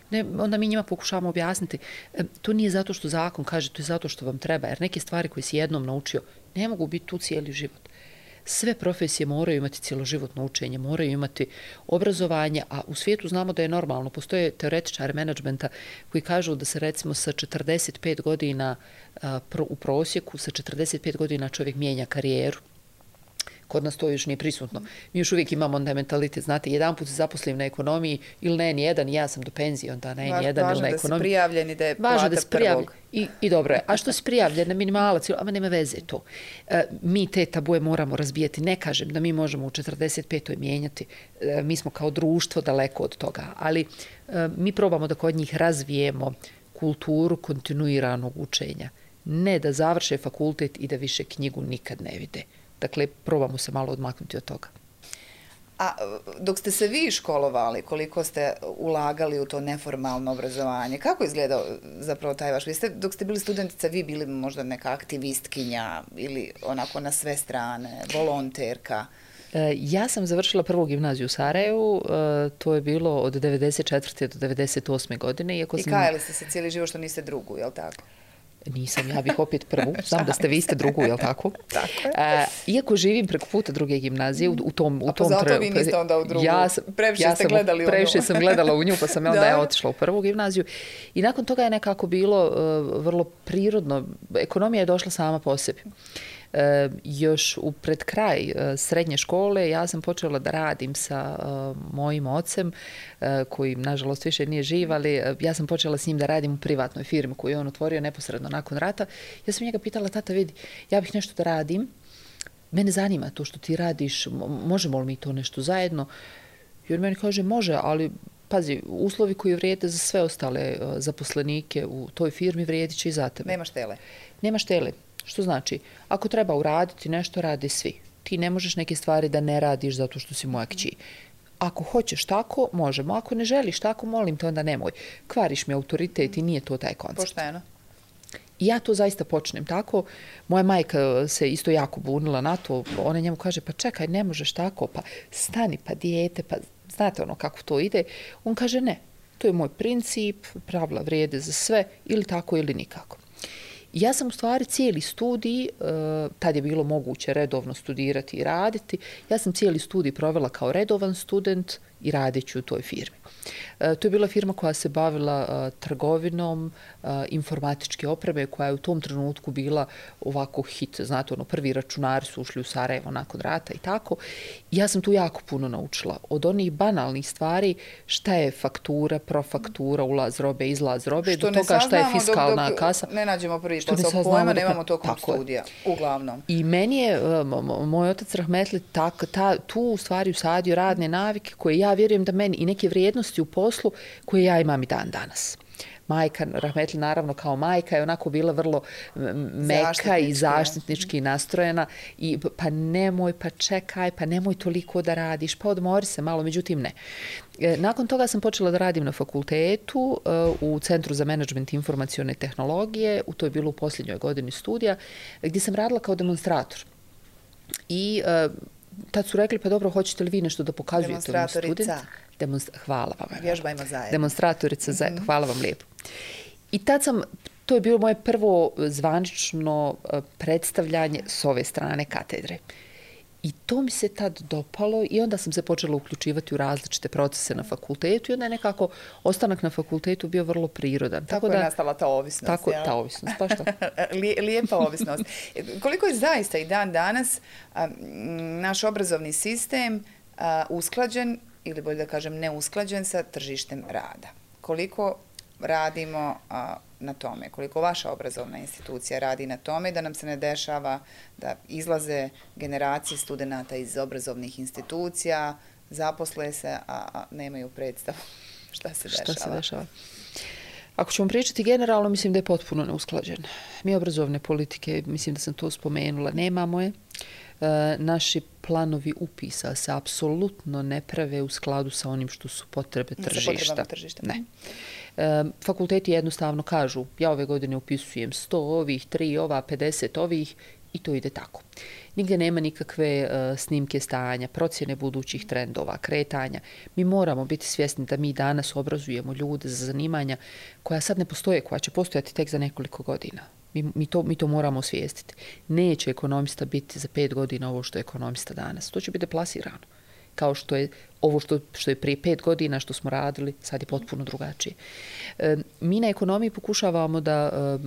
Ne, onda mi njima pokušavamo objasniti, um, to nije zato što zakon kaže, to je zato što vam treba, jer neke stvari koje si jednom naučio ne mogu biti tu cijeli život. Sve profesije moraju imati cjeloživotno učenje, moraju imati obrazovanje, a u svijetu znamo da je normalno. Postoje teoretičari menadžmenta koji kažu da se recimo sa četrdeset pet godina a, pro, u prosjeku, sa četrdeset pet godina čovjek mijenja karijeru. Kod nas to još nije prisutno. Mi još uvijek imamo onda mentalitet, znate, jedan put se zaposlim na ekonomiji ili ne, ni jedan, ja sam do penzije, onda ne, ni jedan ili na ekonomiji. Važno da si prijavljen i da je plata da prvog. I, I dobro je. A što si prijavljen na minimalac, ama nema veze to. E, mi te tabuje moramo razbijati. Ne kažem da mi možemo u četrdeset petoj mijenjati. E, mi smo kao društvo daleko od toga. Ali e, mi probamo da kod njih razvijemo kulturu kontinuiranog učenja. Ne da završe fakultet i da više knjigu nikad ne vide. Dakle, probamo se malo odmaknuti od toga. A dok ste se vi školovali, koliko ste ulagali u to neformalno obrazovanje, kako izgledao zapravo taj vaš? Vi ste, dok ste bili studentica, vi bili možda neka aktivistkinja ili onako na sve strane, volonterka? Ja sam završila prvu gimnaziju u Sarajevu, to je bilo od devedeset četvrte do devedeset osme godine. Iako I sam... kajali ste se cijeli život što niste drugu, je li tako? Nisam, ja bih opet prvu. Znam da ste vi ste drugu, je li tako? Tako je. A, iako živim preko puta druge gimnazije, u, u tom... U A pa zato tre... vi niste onda u drugu? Ja sam, previše ja ste gledali u nju. Previše sam gledala u nju, pa sam ja onda ja otišla u prvu gimnaziju. I nakon toga je nekako bilo uh, vrlo prirodno. Ekonomija je došla sama po sebi. E, još u pred kraj e, srednje škole ja sam počela da radim sa e, mojim ocem, e, koji nažalost više nije živ, ali e, ja sam počela s njim da radim u privatnoj firmi koju je on otvorio neposredno nakon rata. Ja sam njega pitala, tata vidi, ja bih nešto da radim, mene zanima to što ti radiš, možemo li mi to nešto zajedno? I on meni kaže, može, ali pazi, uslovi koji vrijede za sve ostale uh, zaposlenike u toj firmi vrijedit će i za tebe. Nema štele. Nema štele. Što znači, ako treba uraditi nešto, rade svi. Ti ne možeš neke stvari da ne radiš zato što si moja kći. Ako hoćeš tako, možemo. Ako ne želiš tako, molim te, onda nemoj. Kvariš mi autoritet i nije to taj koncept. Pošteno. I ja to zaista počnem tako. Moja majka se isto jako bunila na to. Ona njemu kaže, pa čekaj, ne možeš tako, pa stani, pa dijete, pa znate ono kako to ide. On kaže, ne, to je moj princip, pravila vrijede za sve, ili tako ili nikako. Ja sam u stvari cijeli studij, tad je bilo moguće redovno studirati i raditi, ja sam cijeli studij provela kao redovan student i radeći u toj firmi. To je bila firma koja se bavila trgovinom informatičke opreme, koja je u tom trenutku bila ovako hit. Znate, ono, prvi računari su ušli u Sarajevo nakon rata i tako. Ja sam tu jako puno naučila. Od onih banalnih stvari, šta je faktura, profaktura, ulaz robe, izlaz robe, do toga šta je fiskalna dok, dok kasa. Ne nađemo prvi posao pojma, nemamo tokom studija, uglavnom. I meni je moj otac rahmetli tak, ta, tu u stvari usadio radne navike koje ja vjerujem da meni i neke vrijednosti u poslu koje ja imam i dan danas. Majka, rahmetli naravno kao majka, je onako bila vrlo meka i zaštitnički nastrojena i pa nemoj, pa čekaj, pa nemoj toliko da radiš, pa odmori se malo, međutim ne. Nakon toga sam počela da radim na fakultetu u Centru za menadžment informacione tehnologije, to je bilo u posljednjoj godini studija, gdje sam radila kao demonstrator. I tad su rekli, pa dobro, hoćete li vi nešto da pokazujete ovim studentima? Demonstra... Hvala vam. Vježbajmo zajedno. Demonstratorica zajedno. Hvala vam lijepo. I tad sam, to je bilo moje prvo zvanično predstavljanje s ove strane katedre. I to mi se tad dopalo i onda sam se počela uključivati u različite procese na fakultetu i onda je nekako ostanak na fakultetu bio vrlo prirodan. Tako, tako da, je nastala ta ovisnost. Tako, ja? ta ovisnost, pa što? Lijepa ovisnost. Koliko je zaista i dan danas a, naš obrazovni sistem a, usklađen, ili bolje da kažem neusklađen sa tržištem rada? Koliko radimo a, na tome? Koliko vaša obrazovna institucija radi na tome da nam se ne dešava da izlaze generacije studenata iz obrazovnih institucija, zaposle se, a, a nemaju predstavu šta se dešava? Šta se dešava? Ako ćemo pričati generalno, mislim da je potpuno neusklađen. Mi obrazovne politike, mislim da sam to spomenula, nemamo je. E, naši planovi upisa se apsolutno ne prave u skladu sa onim što su potrebe tržišta. tržišta. Ne. E, fakulteti jednostavno kažu, ja ove godine upisujem sto ovih, tri ova, pedeset ovih i to ide tako. Nigdje nema nikakve uh, snimke stanja, procjene budućih trendova, kretanja. Mi moramo biti svjesni da mi danas obrazujemo ljude za zanimanja koja sad ne postoje, koja će postojati tek za nekoliko godina. Mi, mi, to, mi to moramo osvijestiti. Neće ekonomista biti za pet godina ovo što je ekonomista danas. To će biti deplasirano. Kao što je ovo što, što je prije pet godina što smo radili, sad je potpuno drugačije. E, mi na ekonomiji pokušavamo da e,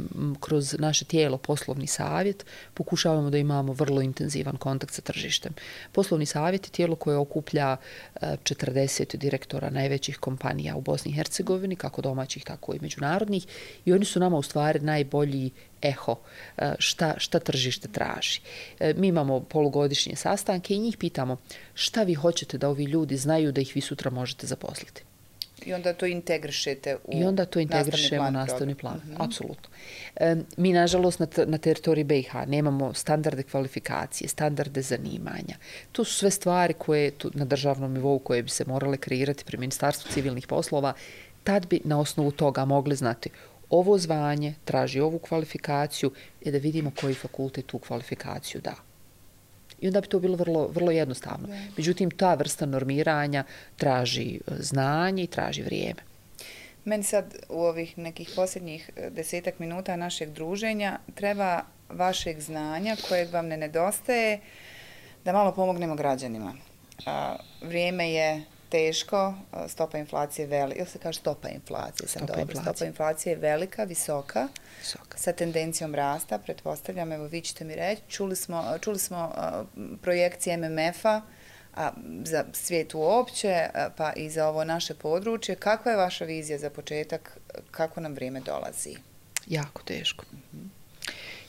kroz naše tijelo poslovni savjet pokušavamo da imamo vrlo intenzivan kontakt sa tržištem. Poslovni savjet je tijelo koje okuplja e, četrdeset direktora najvećih kompanija u Bosni i Hercegovini, kako domaćih, tako i međunarodnih, i oni su nama u stvari najbolji eho šta, šta tržište traži. E, mi imamo polugodišnje sastanke i njih pitamo šta vi hoćete da ovi ljudi znaju da ih vi sutra možete zaposliti. I onda to integrišete u I onda to integrišemo u nastavni plan. Mm -hmm. Apsolutno. E, mi, nažalost, na, na teritoriji B i H nemamo standarde kvalifikacije, standarde zanimanja. To su sve stvari koje tu, na državnom nivou koje bi se morale kreirati pri Ministarstvu civilnih poslova. Tad bi na osnovu toga mogli znati ovo zvanje traži ovu kvalifikaciju i da vidimo koji fakultet tu kvalifikaciju da. I onda bi to bilo vrlo, vrlo jednostavno. Međutim, ta vrsta normiranja traži znanje i traži vrijeme. Meni sad u ovih nekih posljednjih desetak minuta našeg druženja treba vašeg znanja kojeg vam ne nedostaje da malo pomognemo građanima. A, vrijeme je teško, stopa inflacije velika, ili se kaže stopa inflacije, sam Stopa dobro, inflacije. stopa inflacije je velika, visoka, Visoka. sa tendencijom rasta, pretpostavljam, evo vi ćete mi reći, čuli smo, čuli smo uh, projekcije M M F-a a, za svijet uopće, a, pa i za ovo naše područje. Kakva je vaša vizija za početak, kako nam vrijeme dolazi? Jako teško. Mm-hmm.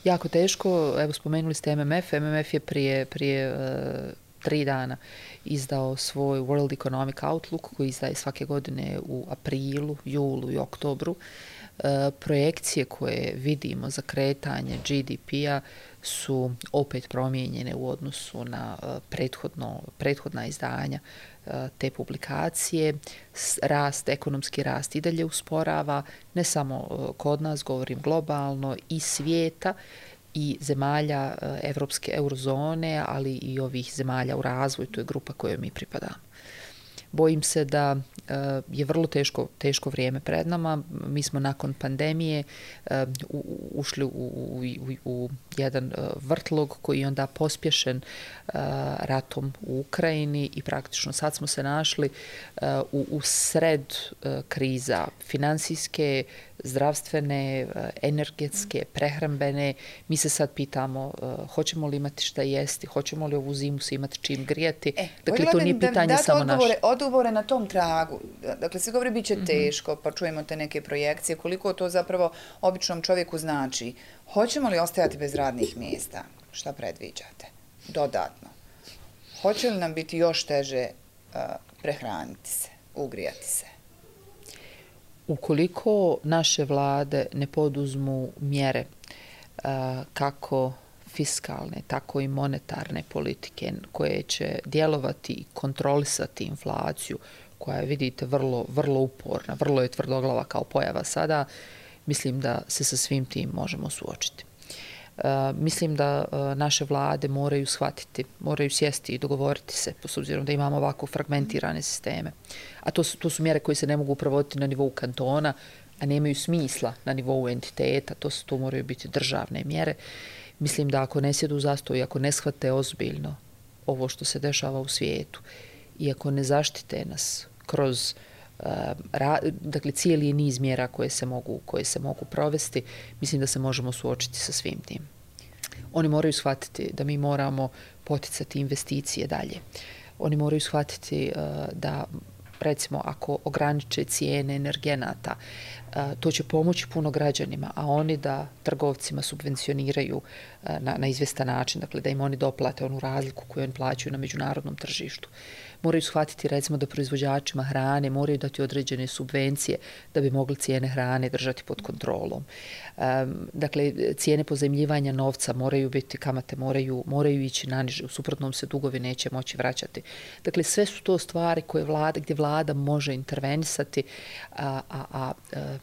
Jako teško, evo spomenuli ste M M F, M M F je prije, prije uh, tri dana izdao svoj World Economic Outlook koji izdaje svake godine u aprilu, julu i oktobru. E, projekcije koje vidimo za kretanje G D P-a su opet promijenjene u odnosu na e, prethodno, prethodna izdanja e, te publikacije. Rast, ekonomski rast i dalje usporava, ne samo e, kod nas, govorim globalno, i svijeta, i zemalja evropske eurozone, ali i ovih zemalja u razvoju, to je grupa kojoj mi pripadamo. Bojim se da je vrlo teško, teško vrijeme pred nama. Mi smo nakon pandemije ušli u, u, u, u jedan vrtlog koji je onda pospješen ratom u Ukrajini i praktično sad smo se našli u, u sred kriza finansijske, zdravstvene, energetske, prehrambene. Mi se sad pitamo uh, hoćemo li imati šta jesti, hoćemo li ovu zimu se imati čim grijati. E, dakle, to nije pitanje da, samo odgovore, naše. Odgovore na tom tragu. Dakle, se govori bit će mm-hmm. teško, pa čujemo te neke projekcije. Koliko to zapravo običnom čovjeku znači? Hoćemo li ostajati bez radnih mjesta? Šta predviđate? Dodatno. Hoće li nam biti još teže uh, prehraniti se, ugrijati se? Ukoliko naše vlade ne poduzmu mjere uh, kako fiskalne, tako i monetarne politike koje će djelovati i kontrolisati inflaciju, koja je, vidite, vrlo, vrlo uporna, vrlo je tvrdoglava kao pojava sada, mislim da se sa svim tim možemo suočiti. Uh, mislim da uh, naše vlade moraju shvatiti, moraju sjesti i dogovoriti se, s obzirom da imamo ovako fragmentirane sisteme. A to su, to su mjere koje se ne mogu provoditi na nivou kantona, a nemaju smisla na nivou entiteta, to, su, to moraju biti državne mjere. Mislim da ako ne sjedu u zastoj, ako ne shvate ozbiljno ovo što se dešava u svijetu i ako ne zaštite nas kroz uh, ra, dakle, cijeli niz mjera koje se mogu, koje se mogu provesti, mislim da se možemo suočiti sa svim tim. Oni moraju shvatiti da mi moramo poticati investicije dalje. Oni moraju shvatiti uh, da, recimo, ako ograniče cijene energenata, uh, to će pomoći puno građanima, a oni da trgovcima subvencioniraju uh, na, na izvjestan način, dakle da im oni doplate onu razliku koju oni plaćaju na međunarodnom tržištu. Moraju shvatiti, recimo, da proizvođačima hrane moraju dati određene subvencije da bi mogli cijene hrane držati pod kontrolom. Um, dakle, cijene pozajmljivanja novca moraju biti, kamate moraju, moraju ići naniže, u suprotnom se dugovi neće moći vraćati. Dakle, sve su to stvari koje vlada, gdje vlada može intervenisati, a, a, a, a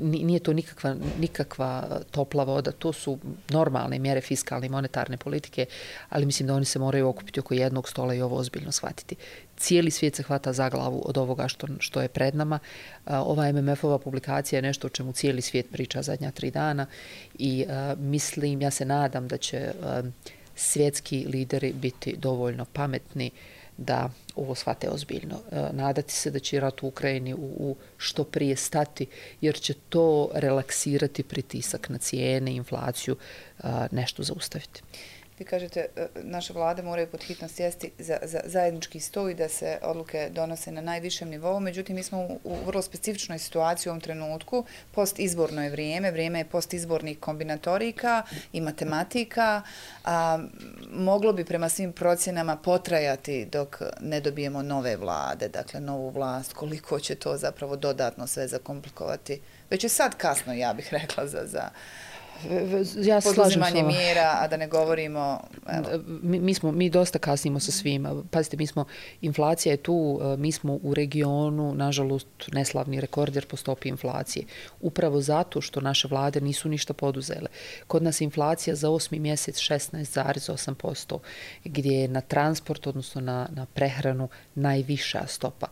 nije to nikakva, nikakva topla voda, to su normalne mjere fiskalne i monetarne politike, ali mislim da oni se moraju okupiti oko jednog stola i ovo ozbiljno shvatiti. Cijeli svijet se hvata za glavu od ovoga što, što je pred nama. Ova M M F-ova publikacija je nešto o čemu cijeli svijet priča zadnja tri dana i uh, mislim, ja se nadam da će uh, svjetski lideri biti dovoljno pametni da ovo shvate ozbiljno. Nadati se da će rat u Ukrajini u, u što prije stati, jer će to relaksirati pritisak na cijene, inflaciju, nešto zaustaviti. Vi kažete, naše vlade moraju pod hitno sjesti za, za zajednički sto i da se odluke donose na najvišem nivou, međutim mi smo u, u vrlo specifičnoj situaciji u ovom trenutku, postizborno je vrijeme, vrijeme je postizbornih kombinatorika i matematika, a moglo bi prema svim procjenama potrajati dok ne dobijemo nove vlade, dakle novu vlast, koliko će to zapravo dodatno sve zakomplikovati. Već je sad kasno, ja bih rekla, za... za ja poduzimanje mjera, a da ne govorimo... Evo. Mi, mi, smo, mi dosta kasnimo sa svima. Pazite, mi smo, inflacija je tu, mi smo u regionu, nažalost, neslavni rekorder po stopi inflacije. Upravo zato što naše vlade nisu ništa poduzele. Kod nas inflacija za osmi mjesec šesnaest zarez osam posto, gdje je na transport, odnosno na, na prehranu, najviša stopa.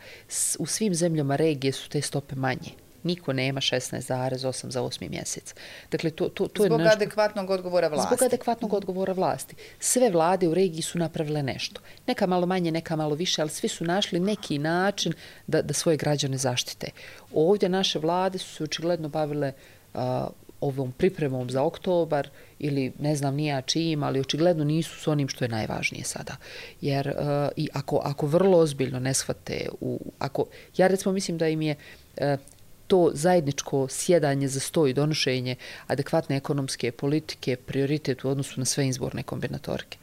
U svim zemljama regije su te stope manje. niko nema šesnaest zarez osam za osmi mjesec. Dakle, to, to, to zbog je nešto, adekvatnog odgovora vlasti. Zbog adekvatnog odgovora vlasti. Sve vlade u regiji su napravile nešto. Neka malo manje, neka malo više, ali svi su našli neki način da, da svoje građane zaštite. Ovdje naše vlade su se očigledno bavile uh, ovom pripremom za oktobar ili ne znam nija čim, ali očigledno nisu s onim što je najvažnije sada. Jer uh, i ako, ako vrlo ozbiljno ne shvate, u, ako, ja recimo mislim da im je uh, to zajedničko sjedanje za sto i donošenje adekvatne ekonomske politike prioritet u odnosu na sve izborne kombinatorike.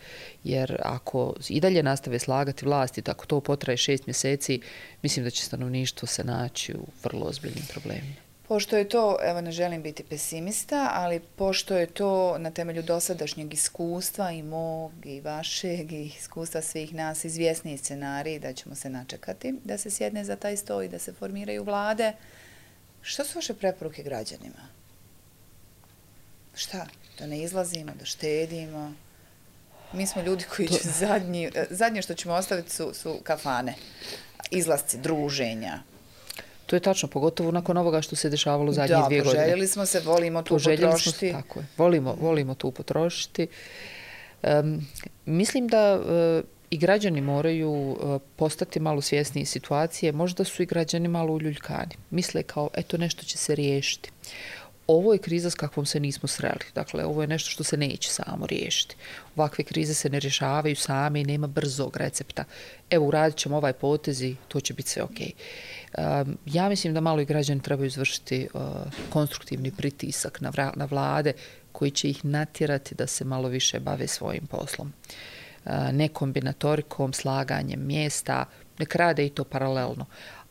Jer ako i dalje nastave slagati vlasti, tako to potraje šest mjeseci, mislim da će stanovništvo se naći u vrlo ozbiljnim problemima. Pošto je to, evo ne želim biti pesimista, ali pošto je to na temelju dosadašnjeg iskustva i mog i vašeg i iskustva svih nas izvjesniji scenarij da ćemo se načekati, da se sjedne za taj sto i da se formiraju vlade, što su vaše preporuke građanima? Šta? Da ne izlazimo, da štedimo? Mi smo ljudi koji će zadnji, zadnje što ćemo ostaviti su, su kafane, izlasci, druženja. To je tačno, pogotovo nakon ovoga što se dešavalo zadnje da, dvije godine. Da, poželjeli smo se, volimo tu potrošiti. Smo, tako je, volimo, volimo tu potrošiti. Um, mislim da uh, i građani moraju uh, postati malo svjesniji situacije. Možda su i građani malo uljuljkani. Misle kao, eto, nešto će se riješiti. Ovo je kriza s kakvom se nismo sreli. Dakle, ovo je nešto što se neće samo riješiti. Ovakve krize se ne rješavaju same i nema brzog recepta. Evo, uradit ćemo ovaj potez i to će biti sve okej. Um, ja mislim da malo i građani trebaju izvršiti uh, konstruktivni pritisak na, vra, na vlade koji će ih natjerati da se malo više bave svojim poslom. Uh, ne kombinatorikom, slaganjem mjesta, nek rade i to paralelno.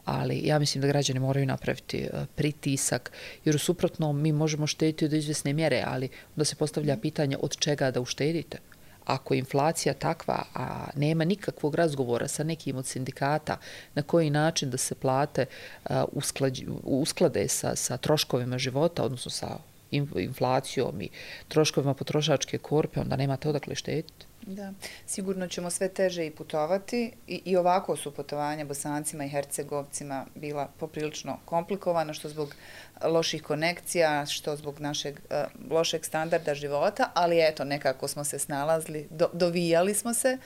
Ali ja mislim da građani moraju napraviti uh, pritisak, jer u suprotnom mi možemo štediti do izvjesne mjere, ali onda se postavlja pitanje od čega da uštedite. Ako je inflacija takva, a nema nikakvog razgovora sa nekim od sindikata na koji način da se plate uh, usklađi, usklade sa, sa troškovima života, odnosno sa inflacijom i troškovima potrošačke korpe, onda nemate odakle štediti. Da, sigurno ćemo sve teže i putovati i, i ovako su putovanja Bosancima i Hercegovcima bila poprilično komplikovana, što zbog loših konekcija, što zbog našeg uh, lošeg standarda života, ali eto, nekako smo se snalazili, do, dovijali smo se.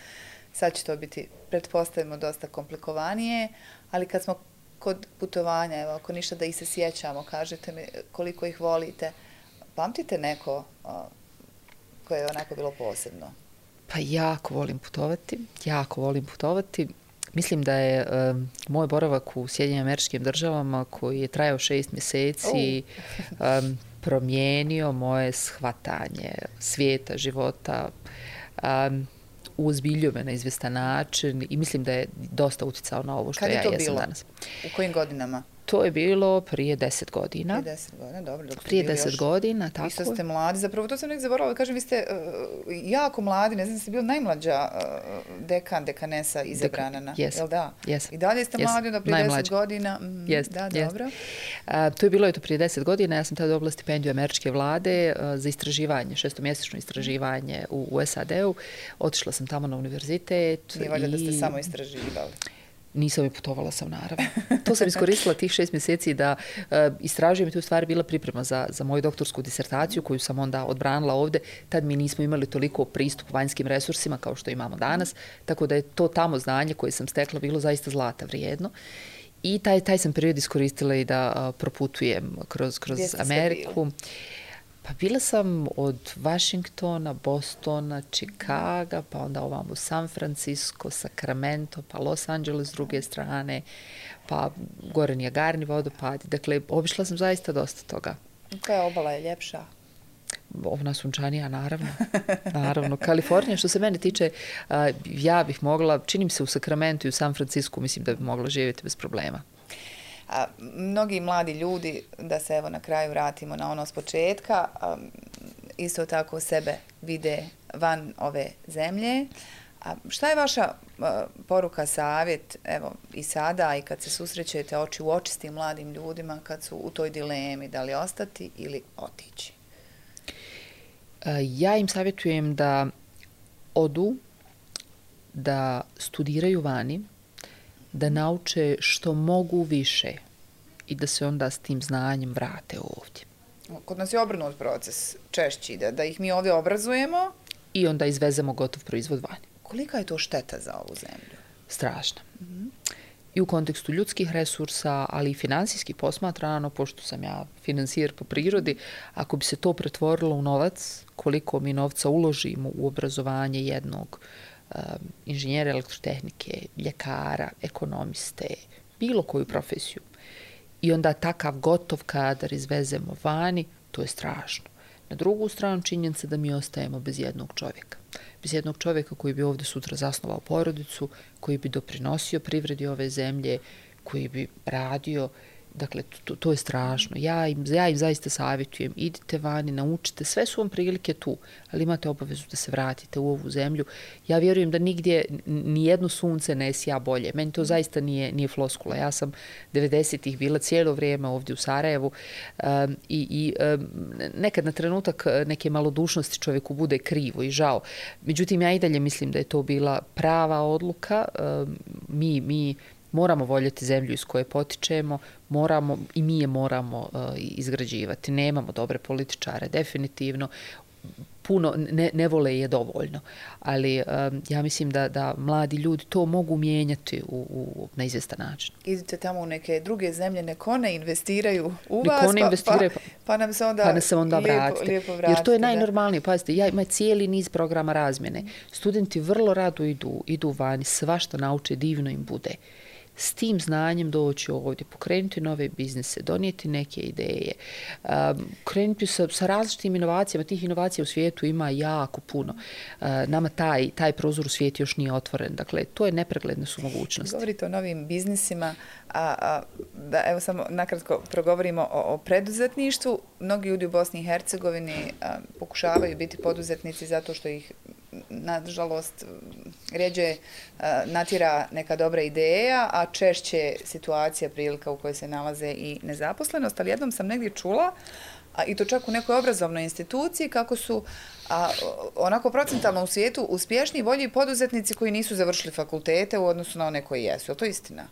Sad će to biti, pretpostavimo, dosta komplikovanije, ali kad smo kod putovanja, evo, ako ništa da ih se sjećamo, kažete mi koliko ih volite, pamtite neko uh, koje je onako bilo posebno? Pa jako volim putovati, jako volim putovati. Mislim da je um, moj boravak u Sjedinjenim Američkim Državama, koji je trajao šest mjeseci, um, promijenio moje shvatanje svijeta, života, um, uozbiljio me na izvjestan način i mislim da je dosta utjecao na ovo što ja jesam danas. U kojim godinama? To je bilo prije deset godina. Prije deset godina, dobro. Dok prije deset godina, tako. Isto ste mladi. Zapravo, to sam nek zaboravila. Kažem, vi ste uh, jako mladi. Ne znam, ste bili najmlađa uh, dekan, dekanesa izabrana. Na, yes. Jel da? Yes. I dalje ste yes. mladi, onda prije Najmlađa. deset godina. Mm, yes. Da, yes. dobro. Uh, to je bilo eto prije deset godina. Ja sam tada dobila stipendiju američke vlade uh, za istraživanje, šestomjesečno istraživanje u, u S A D-u. Otišla sam tamo na univerzitet. Nije valjda i... da ste samo istraživali. Nisam i putovala sam, naravno. To sam iskoristila tih šest mjeseci da uh, istražujem i to je u stvari bila priprema za, za moju doktorsku disertaciju koju sam onda odbranila ovdje. Tad mi nismo imali toliko pristup vanjskim resursima kao što imamo danas, tako da je to tamo znanje koje sam stekla bilo zaista zlata vrijedno. I taj, taj sam period iskoristila i da uh, proputujem kroz, kroz Ameriku. Pa bila sam od Washingtona, Bostona, Chicaga, pa onda ovamo San Francisco, Sacramento, pa Los Angeles s druge strane, pa gore Niagarni vodopadi. Dakle, obišla sam zaista dosta toga. Koja obala je ljepša? Ona sunčanija, naravno. Naravno. Kalifornija, što se mene tiče, ja bih mogla, činim se u Sacramento i u San Francisco, mislim da bih mogla živjeti bez problema. A, mnogi mladi ljudi, da se evo na kraju vratimo na ono s početka, a, isto tako sebe vide van ove zemlje. A šta je vaša a, poruka, savjet, evo i sada i kad se susrećete oči u oči s tim mladim ljudima, kad su u toj dilemi da li ostati ili otići? Ja im savjetujem da odu, da studiraju vani, da nauče što mogu više i da se onda s tim znanjem vrate ovdje. Kod nas je obrnut proces češći, da, da ih mi ovdje obrazujemo. I onda izvezemo gotov proizvod vani. Kolika je to šteta za ovu zemlju? Strašna. Mm-hmm. I u kontekstu ljudskih resursa, ali i finansijski posmatrano, pošto sam ja finansijer po prirodi, ako bi se to pretvorilo u novac, koliko mi novca uložimo u obrazovanje jednog um, inženjera elektrotehnike, ljekara, ekonomiste, bilo koju profesiju, i onda takav gotov kadar izvezemo vani, to je strašno. Na drugu stranu činjenica da mi ostajemo bez jednog čovjeka. Bez jednog čovjeka koji bi ovdje sutra zasnovao porodicu, koji bi doprinosio privredi ove zemlje, koji bi radio. Dakle, to, to je strašno. Ja im, ja im zaista savjetujem, idite vani, naučite, sve su vam prilike tu, ali imate obavezu da se vratite u ovu zemlju. Ja vjerujem da nigdje nijedno sunce ne sija bolje. Meni to zaista nije, nije floskula. Ja sam devedesetih bila cijelo vrijeme ovdje u Sarajevu um, i, i um, nekad na trenutak neke malodušnosti čovjeku bude krivo i žao. Međutim, ja i dalje mislim da je to bila prava odluka. Um, mi, mi moramo voljeti zemlju iz koje potičemo, moramo, i mi je moramo uh, izgrađivati. Nemamo dobre političare, definitivno. Puno ne, ne vole je dovoljno. Ali um, ja mislim da, da mladi ljudi to mogu mijenjati u, u, na izvjestan način. Idite tamo u neke druge zemlje, nek one investiraju u nek vas, one pa, investiraju, pa, pa nam se onda, pa se onda lijepo, vratite. lijepo vratite. Jer to je najnormalnije. Pazite, ja imam cijeli niz programa razmjene. Studenti vrlo rado idu, idu vani, svašta nauče, divno im bude. S tim znanjem doći ovdje, pokrenuti nove biznise, donijeti neke ideje, um, krenuti sa, sa različitim inovacijama. Tih inovacija u svijetu ima jako puno. Uh, nama taj, taj prozor u svijetu još nije otvoren. Dakle, to je nepregledne su mogućnosti. Govorite o novim biznisima, a, a da evo samo nakratko progovorimo o, o preduzetništvu. Mnogi ljudi u Bosni i Hercegovini a, pokušavaju biti poduzetnici zato što ih, nažalost, rjeđe a, natjera neka dobra ideja, a češće situacija, prilika u kojoj se nalaze i nezaposlenost. Ali jednom sam negdje čula, a i to čak u nekoj obrazovnoj instituciji, kako su a, onako procentalno u svijetu uspješni i bolji poduzetnici koji nisu završili fakultete u odnosu na one koji jesu. Je to istina?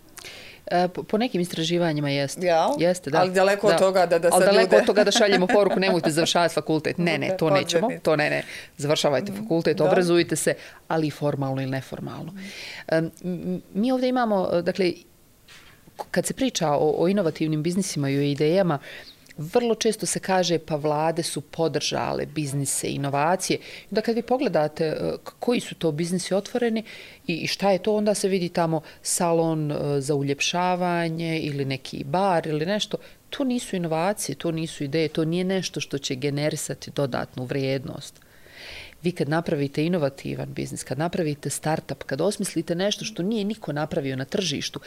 E, po, po nekim istraživanjima jeste. Ja? Jeste, da. Ali daleko da. od toga da, da sad Ali daleko ljude... od toga da šaljemo poruku, nemojte završavati fakultet. Ne, ne, to nećemo. To ne, ne. Završavajte fakultet, da. Obrazujte se, ali i formalno ili neformalno. E, mi ovdje imamo, dakle, kad se priča o, o inovativnim biznisima i o idejama, vrlo često se kaže pa vlade su podržale biznise, inovacije. Da kad vi pogledate koji su to biznisi otvoreni i šta je to, onda se vidi tamo salon za uljepšavanje ili neki bar ili nešto. To nisu inovacije, to nisu ideje, to nije nešto što će generisati dodatnu vrijednost. Vi kad napravite inovativan biznis, kad napravite startup, kad osmislite nešto što nije niko napravio na tržištu,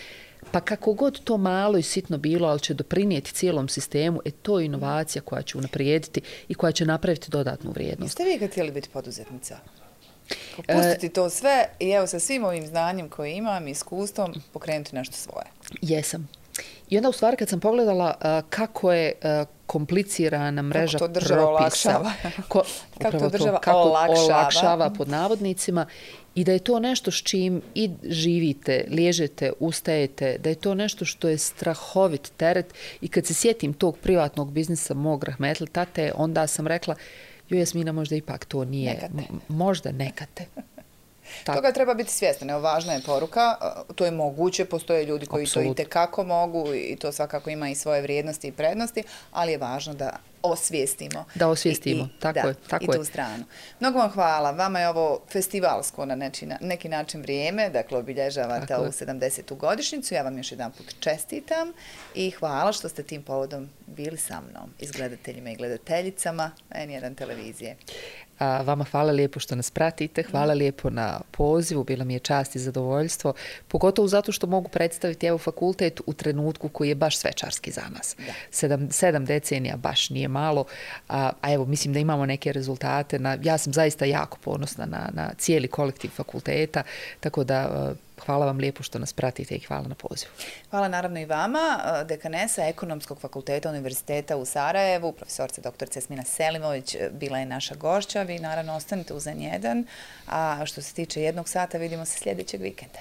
pa kako god to malo i sitno bilo, ali će doprinijeti cijelom sistemu, e to je inovacija koja će unaprijediti i koja će napraviti dodatnu vrijednost. Jeste vi kad htjeli biti poduzetnica? Pustiti to sve i evo sa svim ovim znanjem koje imam, iskustvom, pokrenuti nešto svoje. Jesam. I onda u stvari kad sam pogledala uh, kako je uh, komplicirana mreža kako to država propisa, olakšava. Ko, kako to država to, kako olakšava. olakšava pod navodnicima i da je to nešto s čim i živite, liježete, ustajete, da je to nešto što je strahovit teret i kad se sjetim tog privatnog biznisa mog rahmetli tate, onda sam rekla joj Jasmina, možda ipak to nije, nekate. možda nekate. Tako. Toga treba biti svjestan. Evo, važna je poruka, to je moguće, postoje ljudi koji Absolut. To i tekako mogu i to svakako ima i svoje vrijednosti i prednosti, ali je važno da osvijestimo. Da osvijestimo, i, tako da, je. Tako i tu je. stranu. Mnogo vam hvala. Vama je ovo festivalsko na neki, neki način vrijeme, dakle obilježavate ovu sedamdesetu godišnjicu. Ja vam još jedan put čestitam i hvala što ste tim povodom bili sa mnom, izgledateljima i gledateljicama en jedan televizije. A vama hvala lijepo što nas pratite, hvala lijepo na pozivu, bila mi je čast i zadovoljstvo, pogotovo zato što mogu predstaviti evo fakultet u trenutku koji je baš svečarski za nas. Sedam, sedam decenija baš nije malo, a, a evo mislim da imamo neke rezultate. Na, ja sam zaista jako ponosna na, na cijeli kolektiv fakulteta, tako da a, hvala vam lijepo što nas pratite i hvala na pozivu. Hvala naravno i vama, dekanesa Ekonomskog fakulteta Univerziteta u Sarajevu, profesorca doktorica Jasmina Selimović bila je naša gošća. Vi naravno ostanite uz en jedan, a što se tiče jednog sata vidimo se sljedećeg vikenda.